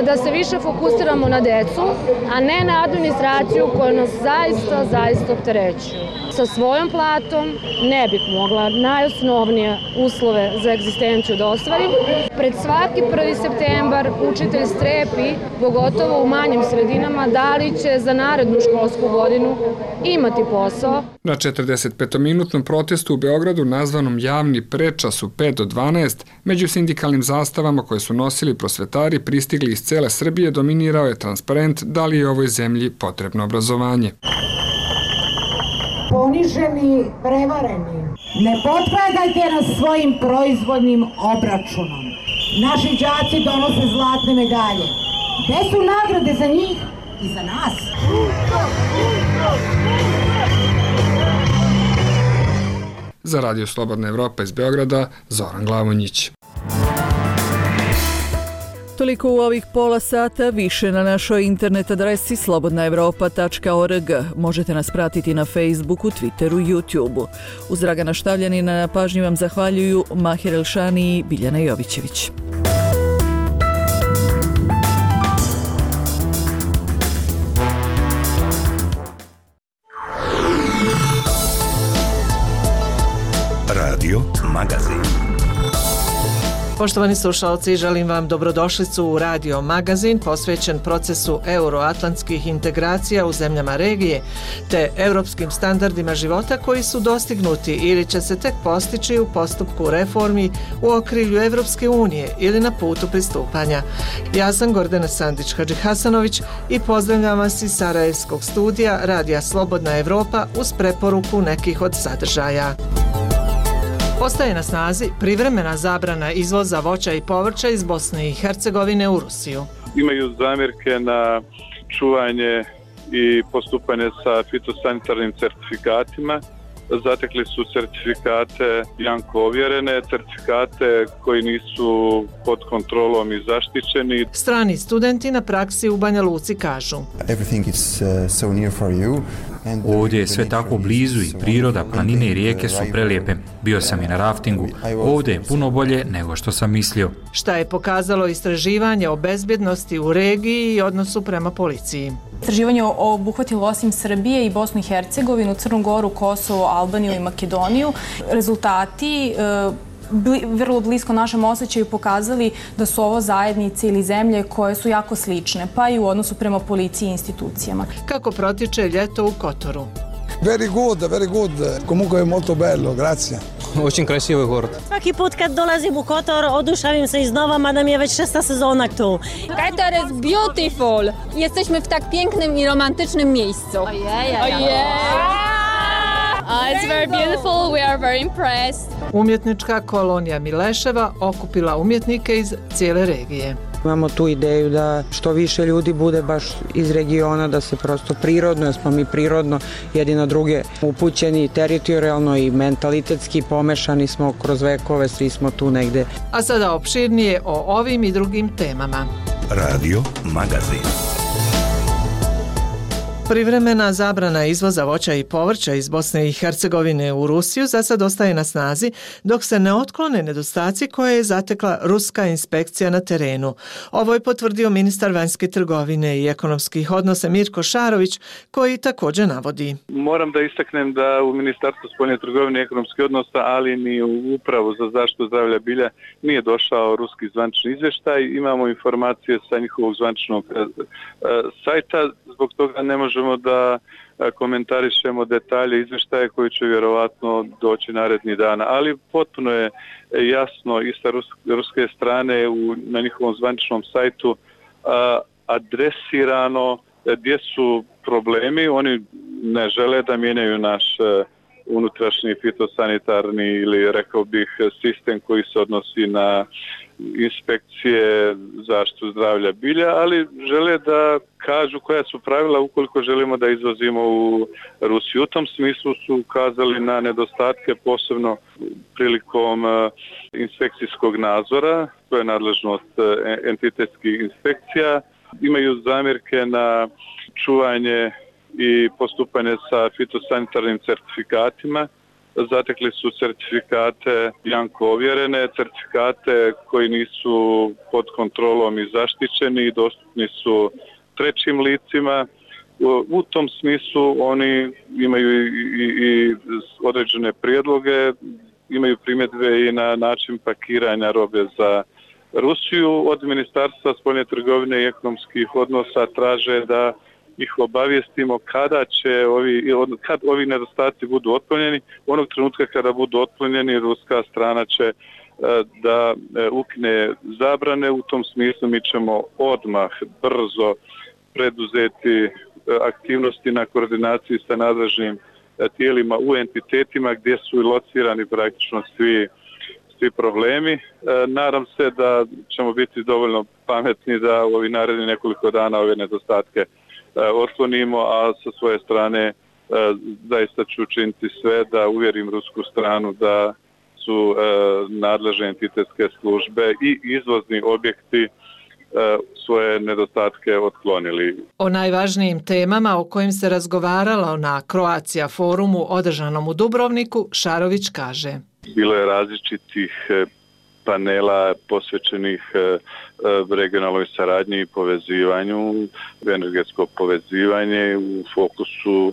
da se više fokusiramo na decu, a ne na administraciju koja nas zaista opterećuje. Sa svojom platom ne bih mogla najosnovnije uslove za egzistenciju da ostvarim. Pred svaki 1. septembar učitelj strepi, pogotovo u manjim sredinama, da li će za narednu školsku godinu imati posao.
Na 45-minutnom protestu u Beogradu nazvanom javni prečas u 5 do 12, među sindikalnim zastavama koje su nosili prosvetari pristigli iz cele Srbije dominirao je transparent da li je ovoj zemlji potrebno obrazovanje.
Poniženi, prevareni, ne potpadajte nas svojim proizvodnim obračunom. Naši đaci donose zlatne medalje. Gde su nagrade za njih i za nas?
Za Radio Slobodna Evropa iz Beograda, Zoran Glavonjić.
Toliko u ovih pola sata, više na našoj internet adresi slobodnaevropa.org. Možete nas pratiti na Facebooku, Twitteru, YouTubeu. Uz Dragana Štavljanina na pažnji vam zahvaljuju Mahir Elšani i Biljana Jovićević.
Radio Magazin.
Poštovani slušalci, želim vam dobrodošlicu u Radio Magazin posvećen procesu euroatlantskih integracija u zemljama regije te europskim standardima života koji su dostignuti ili će se tek postići u postupku reformi u okrilju Evropske unije ili na putu pristupanja. Ja sam Gordana Sandić-Hadžihasanović i pozdravljam vas iz Sarajevskog studija Radija Slobodna Evropa uz preporuku nekih od sadržaja. Ostaje na snazi privremena zabrana izvoza voća i povrća iz Bosne i Hercegovine u Rusiju.
Imaju zamjerke na čuvanje i postupanje sa fitosanitarnim certifikatima. Zatekli su certifikate Janko ovjerene, certifikate koji nisu pod kontrolom i zaštićeni.
Strani studenti na praksi u Banja Luci kažu:
Ovdje je sve tako blizu i priroda, planine i rijeke su prelijepe. Bio sam i na raftingu. Ovdje je puno bolje nego što sam mislio.
Šta je pokazalo istraživanje o bezbjednosti u regiji i odnosu prema policiji?
Istraživanje obuhvatilo osim Srbije i Bosnu i Hercegovinu, Crnu Goru, Kosovo, Albaniju i Makedoniju. Rezultati vrlo blisko našem osjećaju pokazali da su ovo zajednice ili zemlje koje su jako slične, pa i u odnosu prema policiji i institucijama.
Kako protiče ljeto u Kotoru?
Very good. Comunque è molto bello, grazie.
Очень красивый город.
Svaki put kad dolazim u Kotor oduševim se iznova, mada mi je već 6. sezona tu.
Kotor is beautiful. Jesteśmy w tak pięknym i romantycznym miejscu. It's very beautiful. We are very impressed.
Umjetnička kolonija Mileševa okupila umjetnike iz cijele regije.
Imamo tu ideju da što više ljudi bude baš iz regiona, da se prosto prirodno, jer smo mi prirodno jedni na druge upućeni, teritorijalno i mentalitetski pomešani smo kroz vekove, svi smo tu negde.
A sada opširnije o ovim i drugim temama.
Radio Magazin.
Privremena zabrana izvoza voća i povrća iz Bosne i Hercegovine u Rusiju za sad ostaje na snazi dok se ne otklone nedostaci koje je zatekla ruska inspekcija na terenu. Ovo je potvrdio ministar vanjske trgovine i ekonomskih odnosa Mirko Šarović, koji također navodi:
Moram da istaknem da u Ministarstvu spoljne trgovine i ekonomskih odnosa, ali ni u Upravu za zaštitu zdravlja bilja nije došao ruski zvanični izvještaj. Imamo informacije sa njihovog zvaničnog sajta, zbog toga ne možemo da komentarišemo detalje izvještaje koji će vjerovatno doći narednih dana, ali potpuno je jasno i sa ruske strane na njihovom zvaničnom sajtu adresirano gdje su problemi. Oni ne žele da mijenjaju naš unutrašnji fitosanitarni ili rekao bih sistem koji se odnosi na inspekcije zaštitu zdravlja bilja, ali žele da kažu koja su pravila ukoliko želimo da izvozimo u Rusiju. U tom smislu su ukazali na nedostatke, posebno prilikom inspekcijskog nadzora, to je nadležnost entitetskih inspekcija. Imaju zamjerke na čuvanje i postupanje sa fitosanitarnim certifikatima. Zatekli su certifikate Janko ovjerene, certifikate koji nisu pod kontrolom i zaštićeni i dostupni su trećim licima. U tom smislu oni imaju i određene prijedloge, imaju primjedbe i na način pakiranja robe za Rusiju. Od Ministarstva spoljne trgovine i ekonomskih odnosa traže da ih obavijestimo kad ovi nedostaci budu otklonjeni. Onog trenutka kada budu otklonjeni, ruska strana će da ukine zabrane. U tom smislu mi ćemo odmah brzo preduzeti aktivnosti na koordinaciji sa nadležnim tijelima u entitetima gdje su locirani praktično svi problemi. Nadam se da ćemo biti dovoljno pametni da u ovih narednih nekoliko dana ove nedostatke otklonimo, a sa svoje strane zaista ću učiniti sve da uvjerim rusku stranu da su nadležne entitetske službe i izvozni objekti svoje nedostatke otklonili.
O najvažnijim temama o kojim se razgovaralo na Croatia forumu održanom u Dubrovniku, Šarović kaže:
Bilo je različitih panela posvećenih regionalnoj saradnji i povezivanju, energetsko povezivanje. U fokusu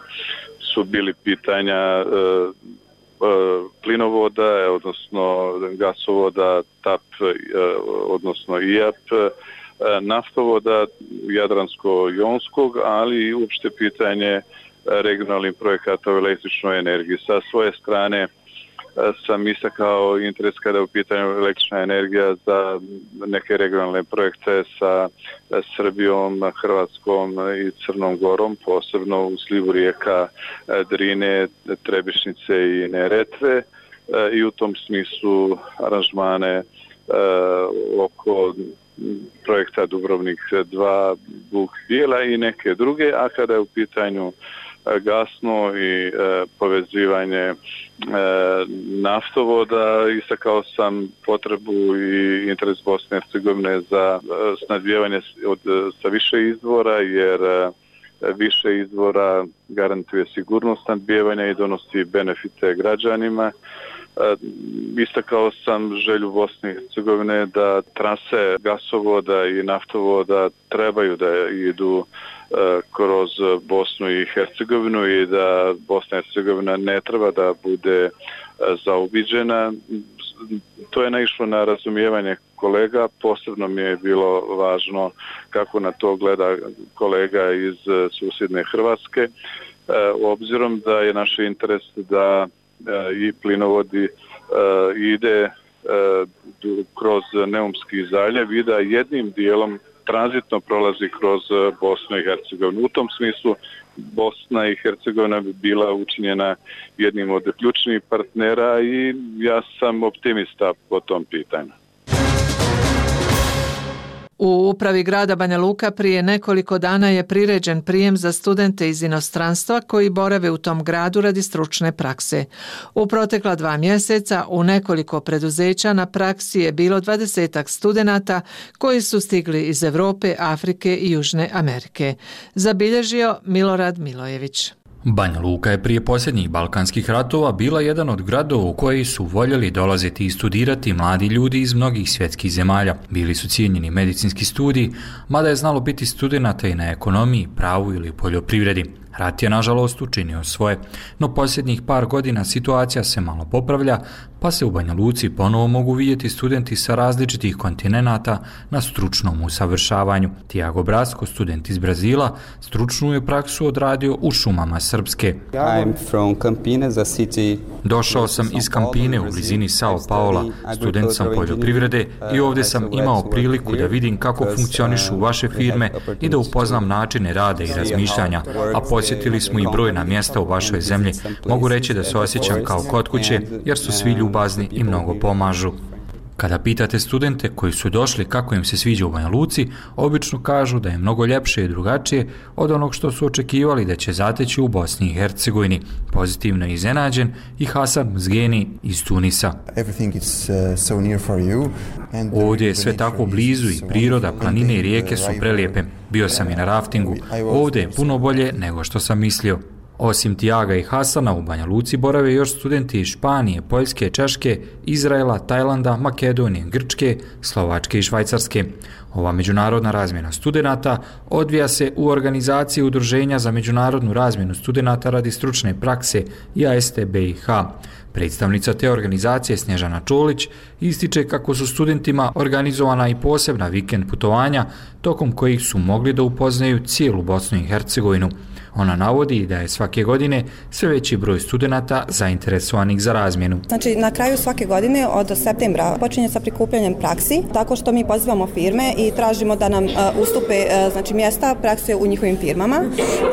su bili pitanja plinovoda, odnosno gasovoda TAP, odnosno IAP, naftovoda Jadransko-jonskog, ali i uopšte pitanje regionalnih projekata u električnoj energiji. Sa svoje strane sam istakao interes kada je u pitanju električna energija za neke regionalne projekte sa Srbijom, Hrvatskom i Crnom Gorom, posebno u slivu rijeka Drine, Trebišnice i Neretve, i u tom smislu aranžmane oko projekta Dubrovnik 2, Buk Bijela i neke druge, a kada je u pitanju gasno i povezivanje naftovoda, istakao sam potrebu i interes Bosne i Hercegovine za snabdijevanje sa više izvora, jer više izvora garantuje sigurnost snabdijevanja i donosi benefite građanima. Istakao sam želju Bosne i Hercegovine da trase gasovoda i naftovoda trebaju da idu kroz Bosnu i Hercegovinu i da Bosna i Hercegovina ne treba da bude zaobiđena. To je naišlo na razumijevanje kolega, posebno mi je bilo važno kako na to gleda kolega iz susjedne Hrvatske, obzirom da je naš interes da i plinovodi ide kroz Neumski zaljev i da jednim dijelom tranzitno prolazi kroz Bosnu i Hercegovinu. U tom smislu Bosna i Hercegovina bi bila učinjena jednim od ključnih partnera i ja sam optimista po tom pitanju.
U upravi grada Banja Luka prije nekoliko dana je priređen prijem za studente iz inostranstva koji borave u tom gradu radi stručne prakse. U protekla 2 mjeseca u nekoliko preduzeća na praksi je bilo 20 studenata koji su stigli iz Europe, Afrike i Južne Amerike. Zabilježio Milorad Milojević.
Banja Luka je prije posljednjih balkanskih ratova bila jedan od gradova u koji su voljeli dolaziti i studirati mladi ljudi iz mnogih svjetskih zemalja. Bili su cijenjeni medicinski studiji, mada je znalo biti studenata i na ekonomiji, pravu ili poljoprivredi. Rat je nažalost učinio svoje, no posljednjih par godina situacija se malo popravlja, pa se u Banja Luci ponovo mogu vidjeti studenti sa različitih kontinenata na stručnom usavršavanju. Tiago Brasco, student iz Brazila, stručnu je praksu odradio u šumama Srpske. Došao sam iz Campine u blizini Sao Paula, student sam poljoprivrede i ovdje sam imao priliku da vidim kako funkcionišu vaše firme i da upoznam načine rada i razmišljanja, a posjetili smo i brojna mjesta u vašoj zemlji. Mogu reći da se osjećam kao kod kuće jer su svi ljubazni i mnogo pomažu. Kada pitate studente koji su došli kako im se sviđa u Banja Luci, obično kažu da je mnogo ljepše i drugačije od onog što su očekivali da će zateći u Bosni i Hercegovini. Pozitivno je iznenađen i Hasan Mzgeni iz Tunisa. Ovdje je sve tako blizu i priroda, planine i rijeke su prelijepe. Bio sam i na raftingu. Ovdje je puno bolje nego što sam mislio. Osim Tiaga i Hasana, u Banja Luci borave još studenti iz Španije, Poljske, Češke, Izraela, Tajlanda, Makedonije, Grčke, Slovačke i Švajcarske. Ova međunarodna razmjena studenata odvija se u organizaciji Udruženja za međunarodnu razmjenu studenata radi stručne prakse IASTBIH. Predstavnica te organizacije Snježana Čolić ističe kako su studentima organizovana i posebna vikend putovanja tokom kojih su mogli da upoznaju cijelu Bosnu i Hercegovinu. Ona navodi da je svake godine sve veći broj studenata zainteresovanih za razmjenu.
Znači, na kraju svake godine od septembra počinje sa prikupljanjem praksi, tako što mi pozivamo firme i tražimo da nam ustupe mjesta prakse u njihovim firmama,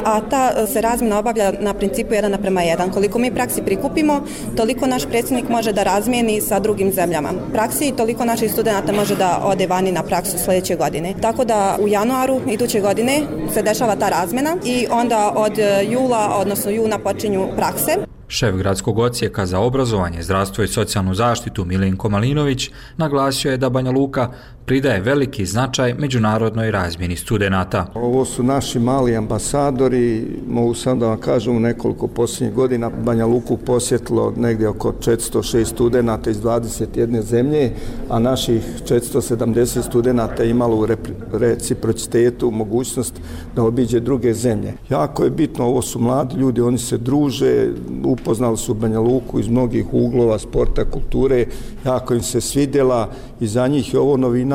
a ta se razmjena obavlja na principu 1:1. Koliko mi praksi prikupimo, toliko naš predsjednik može da razmijeni sa drugim zemljama praksi i toliko naših studenata može da ode vani na praksu sljedeće godine. Tako da u januaru iduće godine se dešava ta razmjena i onda od jula, odnosno juna počinju prakse.
Šef gradskog odsjeka za obrazovanje, zdravstvo i socijalnu zaštitu Milenko Malinović naglasio je da Banja Luka pridaje veliki značaj međunarodnoj razmjeni studenata.
Ovo su naši mali ambasadori, mogu sam da vam kažem, u nekoliko posljednjih godina Banja Luku posjetilo negdje oko 406 studenata iz 21 zemlje, a naših 470 studenata imalo u reciprocitetu mogućnost da obiđe druge zemlje. Jako je bitno, ovo su mladi ljudi, oni se druže, upoznali su Banja Luku iz mnogih uglova, sporta, kulture, jako im se svidjela i za njih je ovo novina,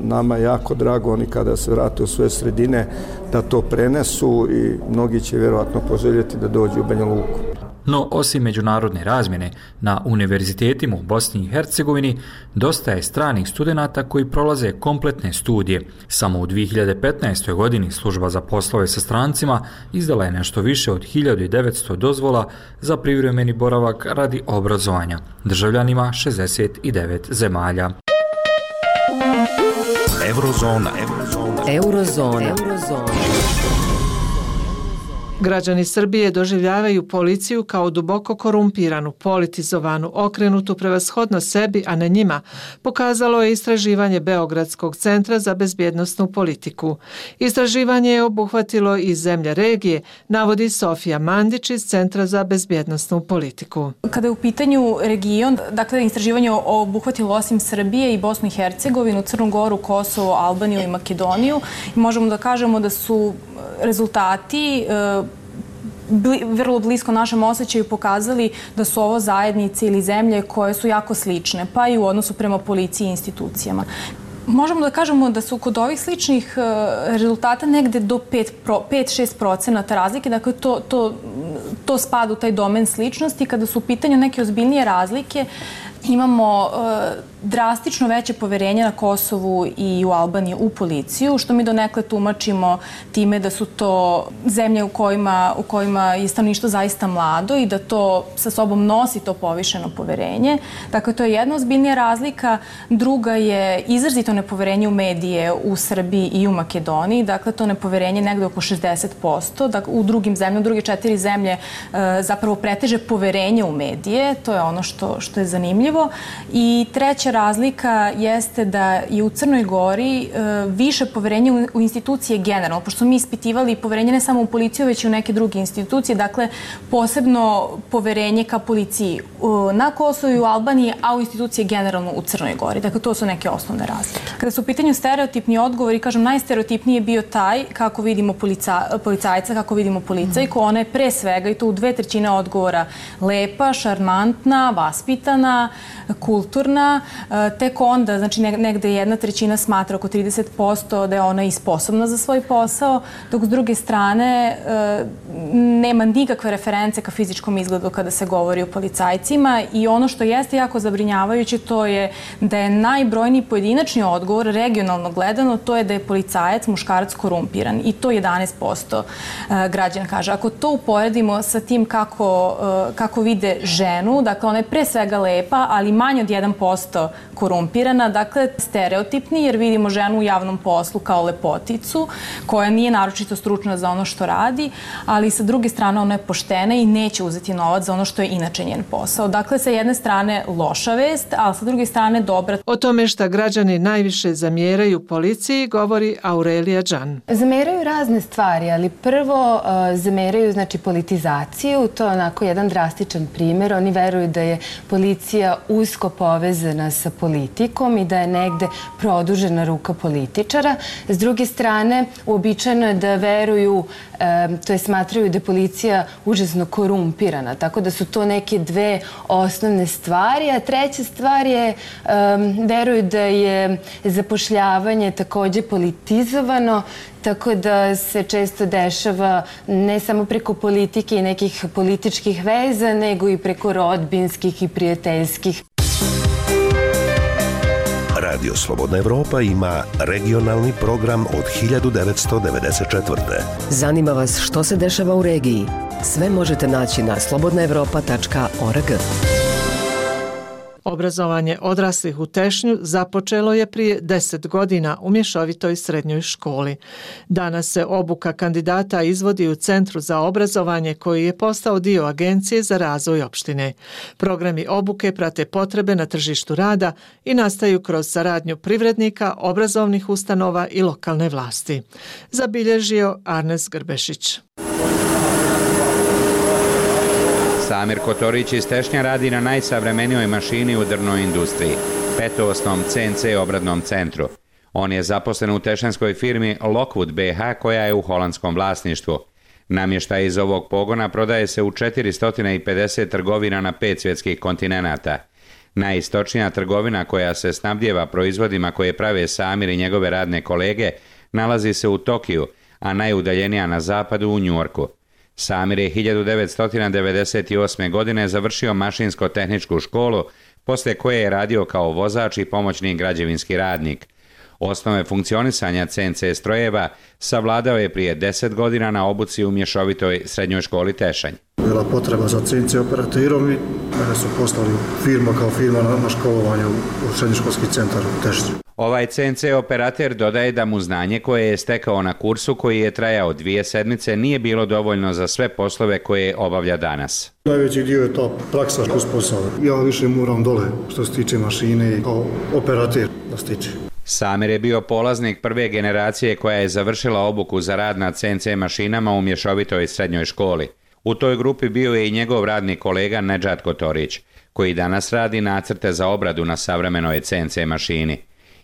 nama je jako drago, oni kada se vrate u svoje sredine da to prenesu i mnogi će vjerovatno poželjeti da dođu u Banja Luku.
No, osim međunarodne razmjene, na univerzitetima u Bosni i Hercegovini dosta je stranih studenata koji prolaze kompletne studije. Samo u 2015. godini služba za poslove sa strancima izdala je nešto više od 1900 dozvola za privremeni boravak radi obrazovanja državljanima 69 zemalja.
Eurozona.
Građani Srbije doživljavaju policiju kao duboko korumpiranu, politizovanu, okrenutu prevashodno sebi, a ne njima, pokazalo je istraživanje Beogradskog centra za bezbjednosnu politiku. Istraživanje je obuhvatilo i zemlje regije, navodi Sofija Mandić iz Centra za bezbjednosnu politiku.
Kada je u pitanju region, dakle, istraživanje obuhvatilo osim Srbije i Bosnu i Hercegovinu, Crnu Goru, Kosovo, Albaniju i Makedoniju. Možemo da kažemo da su rezultati vrlo blisko našem osjećaju pokazali da su ovo zajednice ili zemlje koje su jako slične, pa i u odnosu prema policiji i institucijama. Možemo da kažemo da su kod ovih sličnih rezultata negde do 5-6% razlike, dakle to spada u taj domen sličnosti. Kada su u pitanju neke ozbiljnije razlike, imamo drastično veće poverenje na Kosovu i u Albaniji u policiju, što mi donekle tumačimo time da su to zemlje u kojima je stanovništvo zaista mlado i da to sa sobom nosi to povišeno poverenje. Dakle, to je jedna ozbiljnija razlika. Druga je izrazito nepoverenje u medije u Srbiji i u Makedoniji. Dakle, to nepoverenje negde oko 60%. Dakle, u drugim zemljama, u druge 4 zemlje zapravo preteže poverenje u medije. To je ono što je zanimljivo. I treća razlika jeste da je u Crnoj Gori više poverenje u institucije generalno, pošto mi ispitivali poverenje ne samo u policiju, već i u neke druge institucije, dakle posebno poverenje ka policiji na Kosovu i u Albaniji, a u institucije generalno u Crnoj Gori. Dakle, to su neke osnovne razlike. Kada su u pitanju stereotipni odgovori, kažem, najstereotipniji je bio taj kako vidimo policajca, kako vidimo policajku. Ona je pre svega, i to u 2/3 odgovora, lepa, šarmantna, vaspitana, kulturna. Tek onda, znači negde 1/3 smatra, oko 30%, da je ona i sposobna za svoj posao, dok s druge strane nema nikakve reference ka fizičkom izgledu kada se govori o policajcima. I ono što jeste jako zabrinjavajuće, to je da je najbrojniji pojedinačni odgovor, regionalno gledano, to je da je policajac, muškarac, korumpiran. I to 11% građana kaže. Ako to uporedimo sa tim kako vide ženu, dakle ona je pre svega lepa, ali manje od 1% korumpirana, dakle stereotipni, jer vidimo ženu u javnom poslu kao lepoticu koja nije naročito stručna za ono što radi, ali sa druge strane ona je poštena i neće uzeti novac za ono što je inače njen posao. Dakle, sa jedne strane loša vest, ali sa druge strane dobra.
O tome šta građani najviše zamjeraju policiji govori Aurelija Đan.
Zameraju razne stvari, ali prvo zameraju politizaciju politizaciju. To je onako jedan drastičan primjer. Oni veruju da je policija usko povezana sa politikom i da je negde produžena ruka političara. S druge strane, uobičajeno je da veruju, to je smatraju da je policija užasno korumpirana. Tako da su to neke dve osnovne stvari. A treća stvar je, veruju da je zapošljavanje takođe politizovano, tako da se često dešava ne samo preko politike i nekih političkih veza, nego i preko rodbinskih i prijateljskih.
Radio Slobodna Evropa ima regionalni program od 1994.
Zanima vas što se dešava u regiji? Sve možete naći na slobodnaevropa.org.
Obrazovanje odraslih u Tešnju započelo je prije 10 godina u mješovitoj srednjoj školi. Danas se obuka kandidata izvodi u Centru za obrazovanje koji je postao dio Agencije za razvoj opštine. Programi obuke prate potrebe na tržištu rada i nastaju kroz saradnju privrednika, obrazovnih ustanova i lokalne vlasti. Zabilježio Arnes Grbešić.
Samir Kotorić iz Tešnja radi na najsavremenijoj mašini u drvnoj industriji, petoosnom CNC obradnom centru. On je zaposlen u tešanskoj firmi Lockwood BH koja je u holandskom vlasništvu. Namještaj iz ovog pogona prodaje se u 450 trgovina na 5 svjetskih kontinenata. Najistočnija trgovina koja se snabdijeva proizvodima koje prave Samir i njegove radne kolege nalazi se u Tokiju, a najudaljenija na zapadu u Njujorku. Samir je 1998. godine završio mašinsko-tehničku školu, poslije koje je radio kao vozač i pomoćni građevinski radnik. Osnove funkcionisanja CNC strojeva savladao je prije 10 godina na obuci u mješovitoj srednjoj školi Tešanj.
Bila potreba za CNC operaterom i mene su poslali firma kao firma na školovanje u srednjoškolski centar u Tešnju.
Ovaj CNC operater dodaje da mu znanje koje je stekao na kursu koji je trajao 2 sedmice nije bilo dovoljno za sve poslove koje obavlja danas.
Najveći dio je ta praksa uz posao. Ja više moram dole što se tiče mašine i kao operater da stiče.
Samir je bio polaznik prve generacije koja je završila obuku za rad na CNC mašinama u mješovitoj srednjoj školi. U toj grupi bio je i njegov radni kolega Nedžad Kotorić, koji danas radi nacrte za obradu na savremenoj CNC mašini.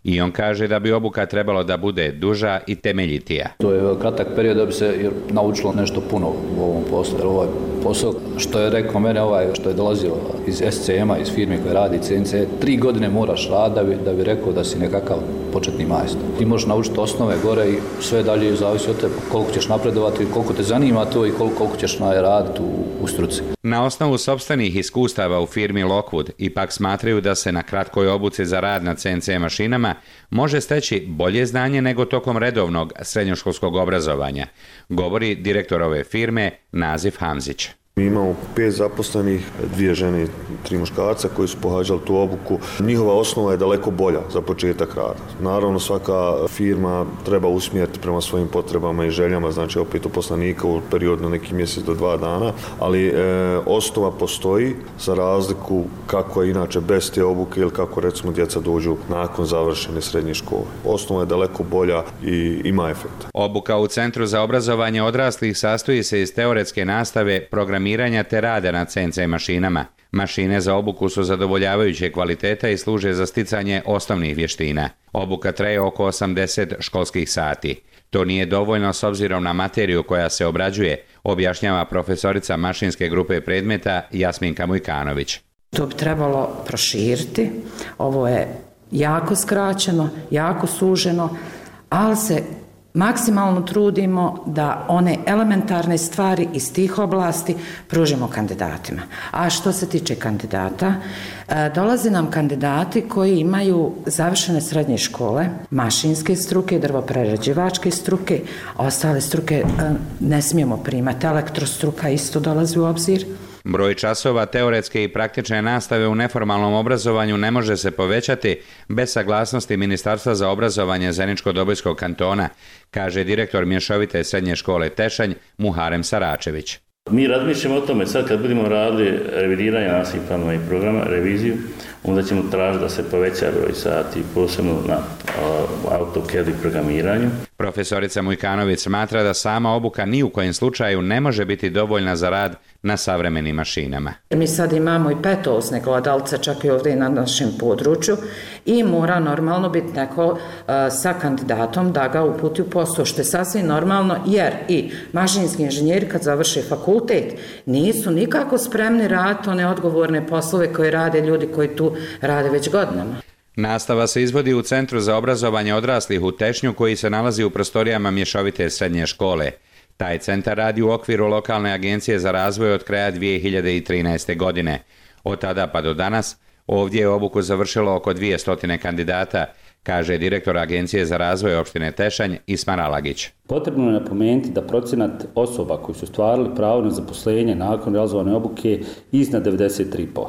I on kaže da bi obuka trebalo da bude duža i temeljitija.
To je kratak period da bi se naučilo nešto puno u ovom poslu. Jer ovaj posao, što je rekao mene što je dolazio iz SCM-a, iz firme koja radi CNC, 3 godine moraš raditi da bi rekao da si nekakav početni majstor. Ti možeš naučiti osnove gore i sve dalje zavisi od tebe koliko ćeš napredovati, koliko te zanima to i koliko ćeš raditi u struci.
Na osnovu sopstvenih iskustava u firmi Lockwood ipak smatraju da se na kratkoj obuci za rad na CNC mašinama može steći bolje znanje nego tokom redovnog srednjoškolskog obrazovanja, govori direktor ove firme Nazif Hamzić.
Mi imamo 5 zaposlenih, 2 žene i 3 muškarca koji su pohađali tu obuku. Njihova osnova je daleko bolja za početak rada. Naravno, svaka firma treba usmjeriti prema svojim potrebama i željama, znači opet uposlenika u periodu na neki mjesec do 2 dana, ali osnova postoji za razliku kako je inače bez te obuke ili kako recimo djeca dođu nakon završene srednje škole. Osnova je daleko bolja i ima efekta.
Obuka u Centru za obrazovanje odraslih sastoji se iz teoretske nastave, programiranja te rada na CNC mašinama. Mašine za obuku su zadovoljavajuće kvaliteta i služe za sticanje osnovnih vještina. Obuka traje oko 80 školskih sati. To nije dovoljno s obzirom na materiju koja se obrađuje, objašnjava profesorica mašinske grupe predmeta Jasminka Mujkanović.
To bi trebalo proširiti. Ovo je jako skraćeno, jako suženo, ali se maksimalno trudimo da one elementarne stvari iz tih oblasti pružimo kandidatima. A što se tiče kandidata, dolaze nam kandidati koji imaju završene srednje škole, mašinske struke, drvoprerađivačke struke, a ostale struke ne smijemo primati. Elektrostruka isto dolazi u obzir.
Broj časova teoretske i praktične nastave u neformalnom obrazovanju ne može se povećati bez saglasnosti Ministarstva za obrazovanje Zeničko-Dobojskog kantona, kaže direktor mješovite srednje škole Tešanj Muharem Saračević.
Mi razmišljamo o tome sad kad budemo radili revidiranje nastavnih planova i programa, reviziju,
onda ćemo tražiti da se poveća broj sati, posebno na AutoCAD i programiranju.
Profesorica Mujkanović smatra da sama obuka ni u kojem slučaju ne može biti dovoljna za rad na savremenim mašinama.
Mi sad imamo i petosne gledalce, čak i ovdje na našem području, i mora normalno biti neko sa kandidatom da ga uputi u posao, što je sasvim normalno, jer i mašinski inženjeri kad završe fakultet nisu nikako spremni raditi one odgovorne poslove koje rade ljudi koji tu rade već godinama.
Nastava se izvodi u Centru za obrazovanje odraslih u Tešnju, koji se nalazi u prostorijama mješovite srednje škole. Taj centar radi u okviru lokalne agencije za razvoj od kraja 2013. godine. Od tada pa do danas ovdje je obuku završilo oko 200 kandidata, kaže direktor Agencije za razvoj opštine Tešanj Ismar Alagić.
Potrebno je napomenuti da procenat osoba koji su stvarali pravo na zaposlenje nakon realizovane obuke iznad 93%.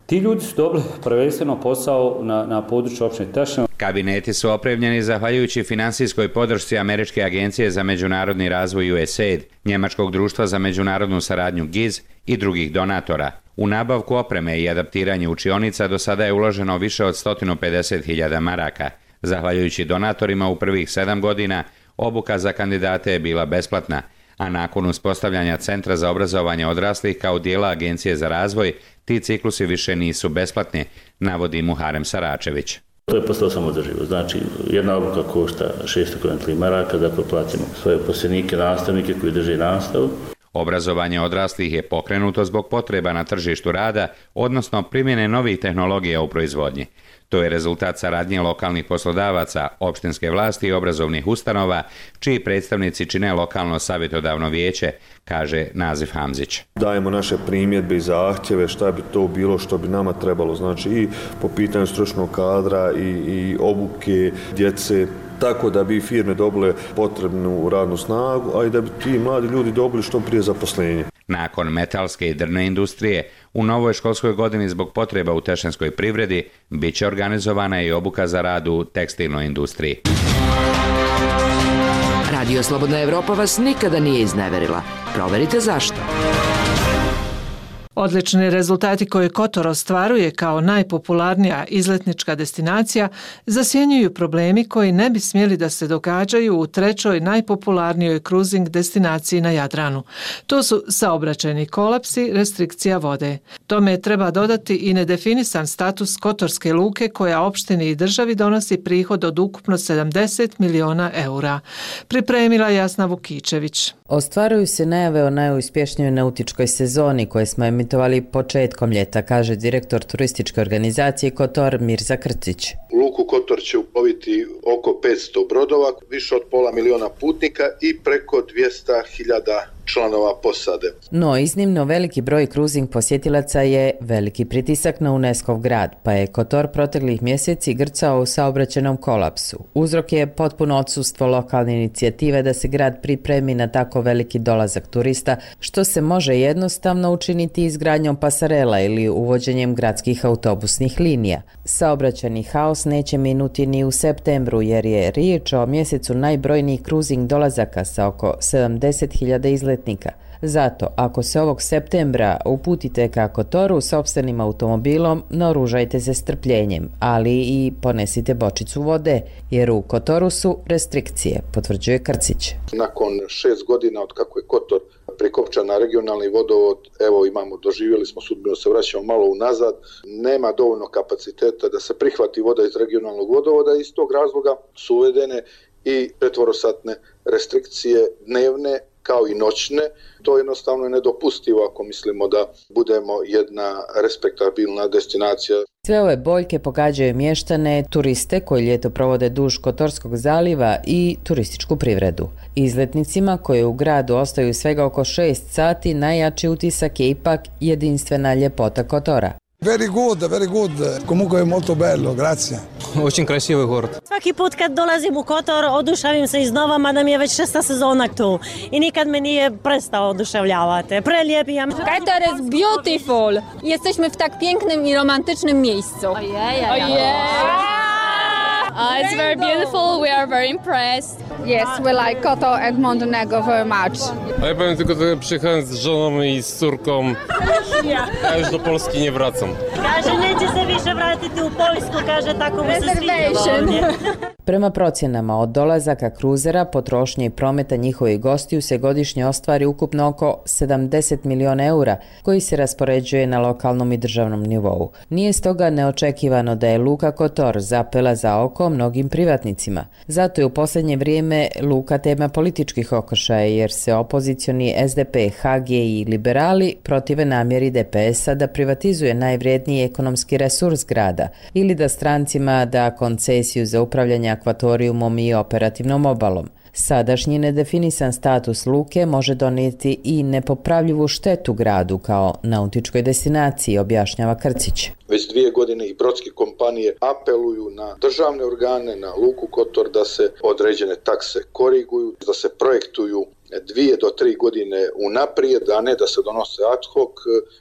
Ti ljudi su dobili prvenstveno posao na području opštine Tešanj.
Kabineti su opremljeni zahvaljujući finansijskoj podršci Američke agencije za međunarodni razvoj USAID, Njemačkog društva za međunarodnu saradnju GIZ i drugih donatora. U nabavku opreme i adaptiranje učionica do sada je uloženo više od 150.000 maraka. Zahvaljujući donatorima u prvih 7 godina, obuka za kandidate je bila besplatna, a nakon uspostavljanja Centra za obrazovanje odraslih kao dijela Agencije za razvoj, ti ciklusi više nisu besplatni, navodi Muharem Saračević.
To je postalo samoodrživo. Znači, jedna obuka košta 600 maraka, dakle platimo svoje uposlenike, nastavnike koji drže nastavu.
Obrazovanje odraslih je pokrenuto zbog potreba na tržištu rada, odnosno primjene novih tehnologija u proizvodnji. To je rezultat saradnje lokalnih poslodavaca, opštinske vlasti i obrazovnih ustanova, čiji predstavnici čine lokalno savjetodavno vijeće, kaže Nazif Hamzić.
Dajemo naše primjedbe i zahtjeve šta bi to bilo što bi nama trebalo, znači i po pitanju stručnog kadra i obuke djece, tako da bi firme dobile potrebnu radnu snagu, a i da bi ti mladi ljudi dobili što prije zaposlenje.
Nakon metalske i drvne industrije, u novoj školskoj godini zbog potreba u tešanskoj privredi bit će organizovana i obuka za rad u tekstilnoj industriji.
Radio Slobodna Evropa vas nikada nije izneverila. Proverite zašto.
Odlični rezultati koje Kotor ostvaruje kao najpopularnija izletnička destinacija zasjenjuju problemi koji ne bi smjeli da se događaju u trećoj najpopularnijoj kruzing destinaciji na Jadranu. To su saobraćajni kolapsi, restrikcija vode. Tome treba dodati i nedefinisan status Kotorske luke koja opštini i državi donosi prihod od ukupno 70 miliona eura. Pripremila Jasna Vukičević.
Ostvaruju se najave o najuspješnijoj nautičkoj sezoni koje smo emitovali početkom ljeta, kaže direktor turističke organizacije Kotor Mirza Krcić.
U luku Kotor će uploviti oko 500 brodova, više od 500.000 putnika i preko 200.000 članova posade.
No, iznimno veliki broj kruzing posjetilaca je veliki pritisak na UNESCO-v grad, pa je Kotor proteklih mjeseci grcao u saobraćajnom kolapsu. Uzrok je potpuno odsustvo lokalne inicijative da se grad pripremi na tako veliki dolazak turista, što se može jednostavno učiniti izgradnjom pasarela ili uvođenjem gradskih autobusnih linija. Saobraćajni haos neće minuti ni u septembru, jer je riječ o mjesecu najbrojnijih kruzing dolazaka sa oko 70.000 izletnika. Zato, ako se ovog septembra uputite ka Kotoru sopstvenim automobilom, naoružajte se strpljenjem, ali i ponesite bočicu vode, jer u Kotoru su restrikcije, potvrđuje Krcić.
Nakon 6 godina od kako je Kotor prikopčan na regionalni vodovod, doživjeli smo sudbinu, se vraćamo malo unazad, nema dovoljno kapaciteta da se prihvati voda iz regionalnog vodovoda i iz tog razloga su uvedene i četvorosatne restrikcije dnevne kao i noćne. To jednostavno je nedopustivo ako mislimo da budemo jedna respektabilna destinacija.
Sve ove boljke pogađaju mještane, turiste koji ljeto provode duž Kotorskog zaliva i turističku privredu. Izletnicima koji u gradu ostaju svega oko 6 sati, najjači utisak je ipak jedinstvena ljepota Kotora.
Very good. Comunque je molto bello, grazie.
Очень красивый город.
Svaki put kad dolazim u Kotor oduševim se iznova, mada mi je već 6. sezona tu i nikad me nije prestao oduševljavati. Prelijep je.
Kotor is beautiful. Jesteśmy w tak pięknym i romantycznym miejscu.
Ojej.
It's very beautiful. We are very impressed.
Yes, we like Kotor and Montenegro very much.
A ja powiem tylko, że przyjechałem z żoną i z córką, a już do Polski nie wracam.
Kaže, neće se više vratiti u Poljsku, kaže, tako mu se sviđa ovdje.
Prema procjenama, od dolazaka kruzera, potrošnje i prometa njihovih gostiju se godišnje ostvari ukupno oko 70 miliona eura, koji se raspoređuje na lokalnom i državnom nivou. Nije stoga neočekivano da je Luka Kotor zapela za oko mnogim privatnicima. Zato je u posljednje vrijeme luka tema političkih okršaja, jer se opozicioni SDP, HG i liberali protive namjeri DPS-a da privatizuje najvrijedniji ekonomski resurs grada ili da strancima da koncesiju za upravljanje akvatorijumom i operativnom obalom. Sadašnji nedefinisan status luke može donijeti i nepopravljivu štetu gradu kao nautičkoj destinaciji, objašnjava Krcić.
Već 2 godine i brodske kompanije apeluju na državne organe, na Luku Kotor da se određene takse koriguju, da se projektuju 2 do 3 godine unaprijed, a ne da se donose ad hoc.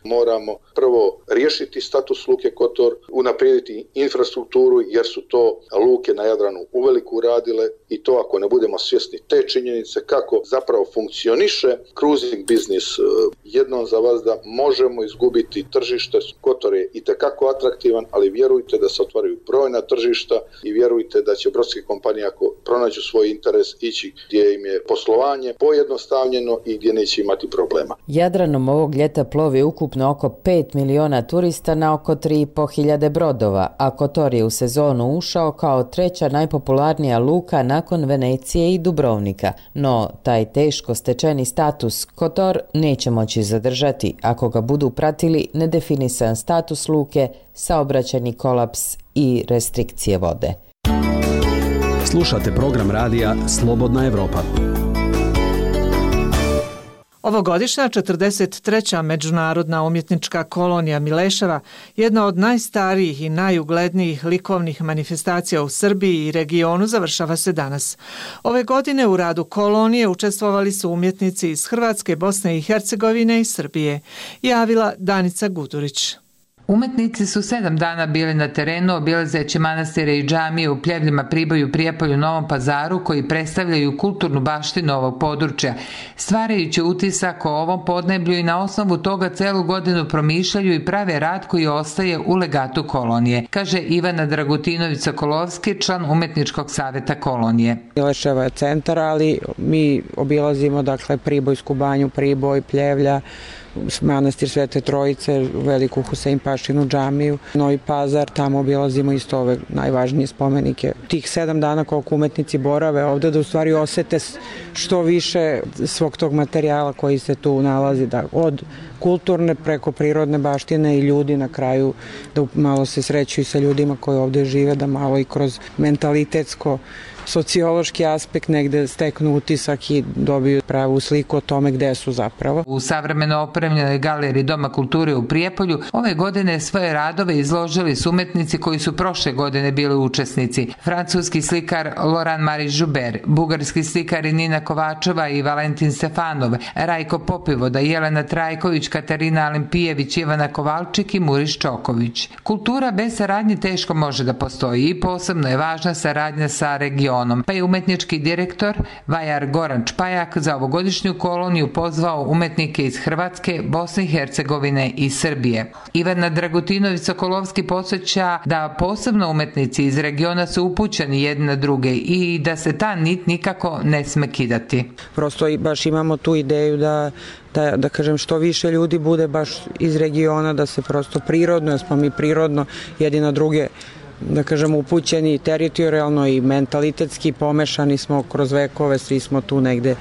Moramo prvo riješiti status Luke Kotor, unaprijediti infrastrukturu jer su to luke na Jadranu uveliko uradile i to ako ne budemo svjesni te činjenice kako zapravo funkcioniše cruising biznis jednom za vas da možemo izgubiti tržište. Kotor je itekako atraktivan, ali vjerujte da se otvaraju brojna tržišta i vjerujte da će brodske kompanije ako pronađu svoj interes ići gdje im je poslovanje pojednostavljeno i gdje neće imati problema.
Jadranom ovog ljeta plovi ukupno oko 5 miliona turista na oko 3.500 brodova, a Kotor je u sezonu ušao kao 3. najpopularnija luka nakon Venecije i Dubrovnika. No, taj teško stečeni status Kotor neće moći zadržati ako ga budu pratili nedefinisan status luke, saobraćajni kolaps i restrikcije vode.
Slušate program radija Slobodna Evropa.
Ovogodišnja 43. međunarodna umjetnička kolonija Mileševa, jedna od najstarijih i najuglednijih likovnih manifestacija u Srbiji i regionu, završava se danas. Ove godine u radu kolonije učestvovali su umjetnici iz Hrvatske, Bosne i Hercegovine i Srbije, javila Danica Gudurić.
Umetnici su 7 dana bili na terenu obilazeći manastire i džamije u Pljevljima, Priboju, Prijepolju, Novom Pazaru koji predstavljaju kulturnu baštinu ovog područja, stvarajući utisak o ovom podneblju i na osnovu toga celu godinu promišljaju i prave rad koji ostaje u legatu kolonije, kaže Ivana Dragutinović-Sokolovski, član Umetničkog saveta kolonije.
Mileševa je centar, ali mi obilazimo Pribojsku banju, Priboj, Pljevlja, manastir Svete Trojice, Veliku Huseinpašinu džamiju, Novi Pazar, tamo obilazimo isto ove najvažnije spomenike. Tih 7 dana koliko umetnici borave ovde da u stvari osete što više svog tog materijala koji se tu nalazi, da od kulturne preko prirodne baštine i ljudi na kraju da malo se sreću i sa ljudima koji ovde žive, da malo i kroz mentalitetsko sociološki aspekt negde steknu utisak i dobiju pravu sliku o tome gde su zapravo.
U savremeno opremljenoj galeriji Doma kulture u Prijepolju ove godine svoje radove izložili su umetnici koji su prošle godine bili učesnici. Francuski slikar Laurent Marie Joubert, bugarski slikari Nina Kovačeva i Valentin Stefanov, Rajko Popivoda, Jelena Trajković, Katarina Alimpijević, Ivana Kovalčik i Muriš Čoković. Kultura bez saradnje teško može da postoji i posebno je važna saradnja sa regionom. Pa je umetnički direktor Vajar Goran Čpajak za ovogodišnju koloniju pozvao umetnike iz Hrvatske, Bosne i Hercegovine i Srbije. Ivana Dragutinović-Sokolovski podsjeća da posebno umetnici iz regiona su upućeni jedni na druge i da se ta nit nikako ne sme kidati.
Prosto baš imamo tu ideju da kažem što više ljudi bude baš iz regiona, da se prosto prirodno, jer smo mi prirodno jedni na druge da kažem upućeni teritorijalno i mentalitetski pomešani smo kroz vekove, svi smo tu negde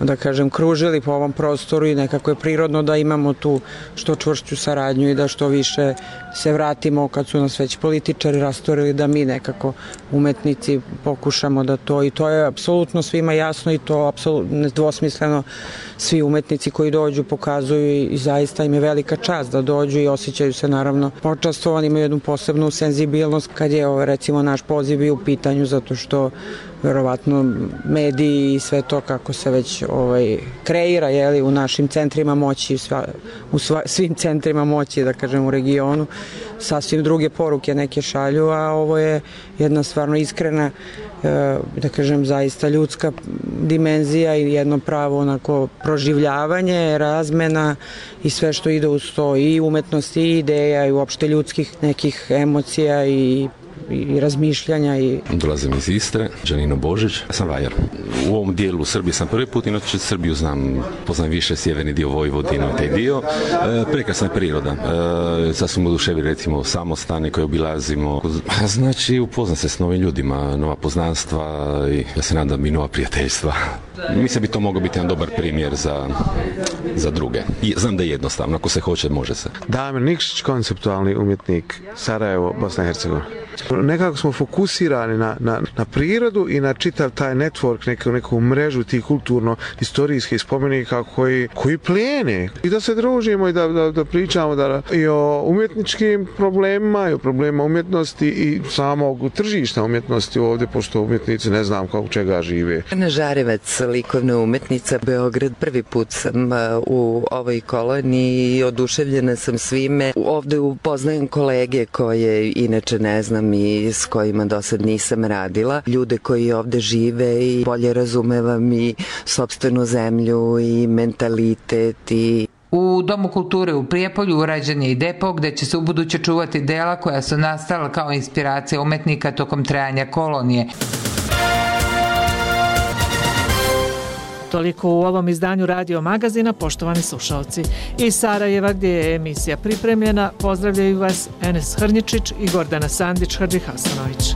da kažem kružili po ovom prostoru i nekako je prirodno da imamo tu što čvršću saradnju i da što više se vratimo kad su nas već političari rastorili da mi nekako umetnici pokušamo da to i to je apsolutno svima jasno i to apsolutno nedvosmisleno svi umetnici koji dođu pokazuju i zaista im je velika čast da dođu i osjećaju se naravno počastovani, imaju jednu posebnu senzibilnost kad je recimo naš poziv bio u pitanju zato što verovatno mediji i sve to kako se već kreira u našim centrima moći, u svim centrima moći, da kažem u regionu, sasvim druge poruke neke šalju, a ovo je jedna stvarno iskrena, da kažem, zaista ljudska dimenzija i jedno pravo onako proživljavanje, razmena i sve što ide uz to, i umetnost, i ideja, i uopšte ljudskih nekih emocija i razmišljanja.
Dolazim iz Istre, Đanino Božić, sam vajar. U ovom dijelu Srbije sam prvi put, inače Srbiju poznam više, sjeverni dio Vojvodine, taj dio. Prekrasna je priroda. Sad smo oduševili recimo samostane koje obilazimo. Znači upoznam se s novim ljudima, nova poznanstva i ja se nadam i nova prijateljstva. Mislim da bi to mogao biti jedan dobar primjer za druge. I znam da je jednostavno, ako se hoće, može se.
Damir Nikšić, konceptualni umjetnik, Sarajevo, Bosna i Hercegovina. Nekako smo fokusirani na prirodu i na čitav taj network, neku mrežu tih kulturno-istorijskih spomenika koji plijene. I da se družimo i da pričamo i o umjetničkim problemima, i o problemima umjetnosti i samog tržišta umjetnosti ovdje, pošto umjetnici ne znam kako čega žive.
Ana Žarevac, likovna umetnica, Beograd. Prvi put sam u ovoj koloniji i oduševljena sam svime. Ovdje upoznajem kolege koje inače ne znam i s kojima do sad nisam radila. Ljude koji ovde žive i bolje razumevam i sopstvenu zemlju i mentalitet i...
U Domu kulture u Prijepolju urađen je i depo gde će se ubuduće čuvati dela koja su nastala kao inspiracija umetnika tokom trajanja kolonije.
Toliko u ovom izdanju Radio Magazina, poštovani slušalci. Iz Sarajeva, gdje je emisija pripremljena, pozdravljaju vas Enes Hrnjičić i Gordana Sandić-Hadžihasanović.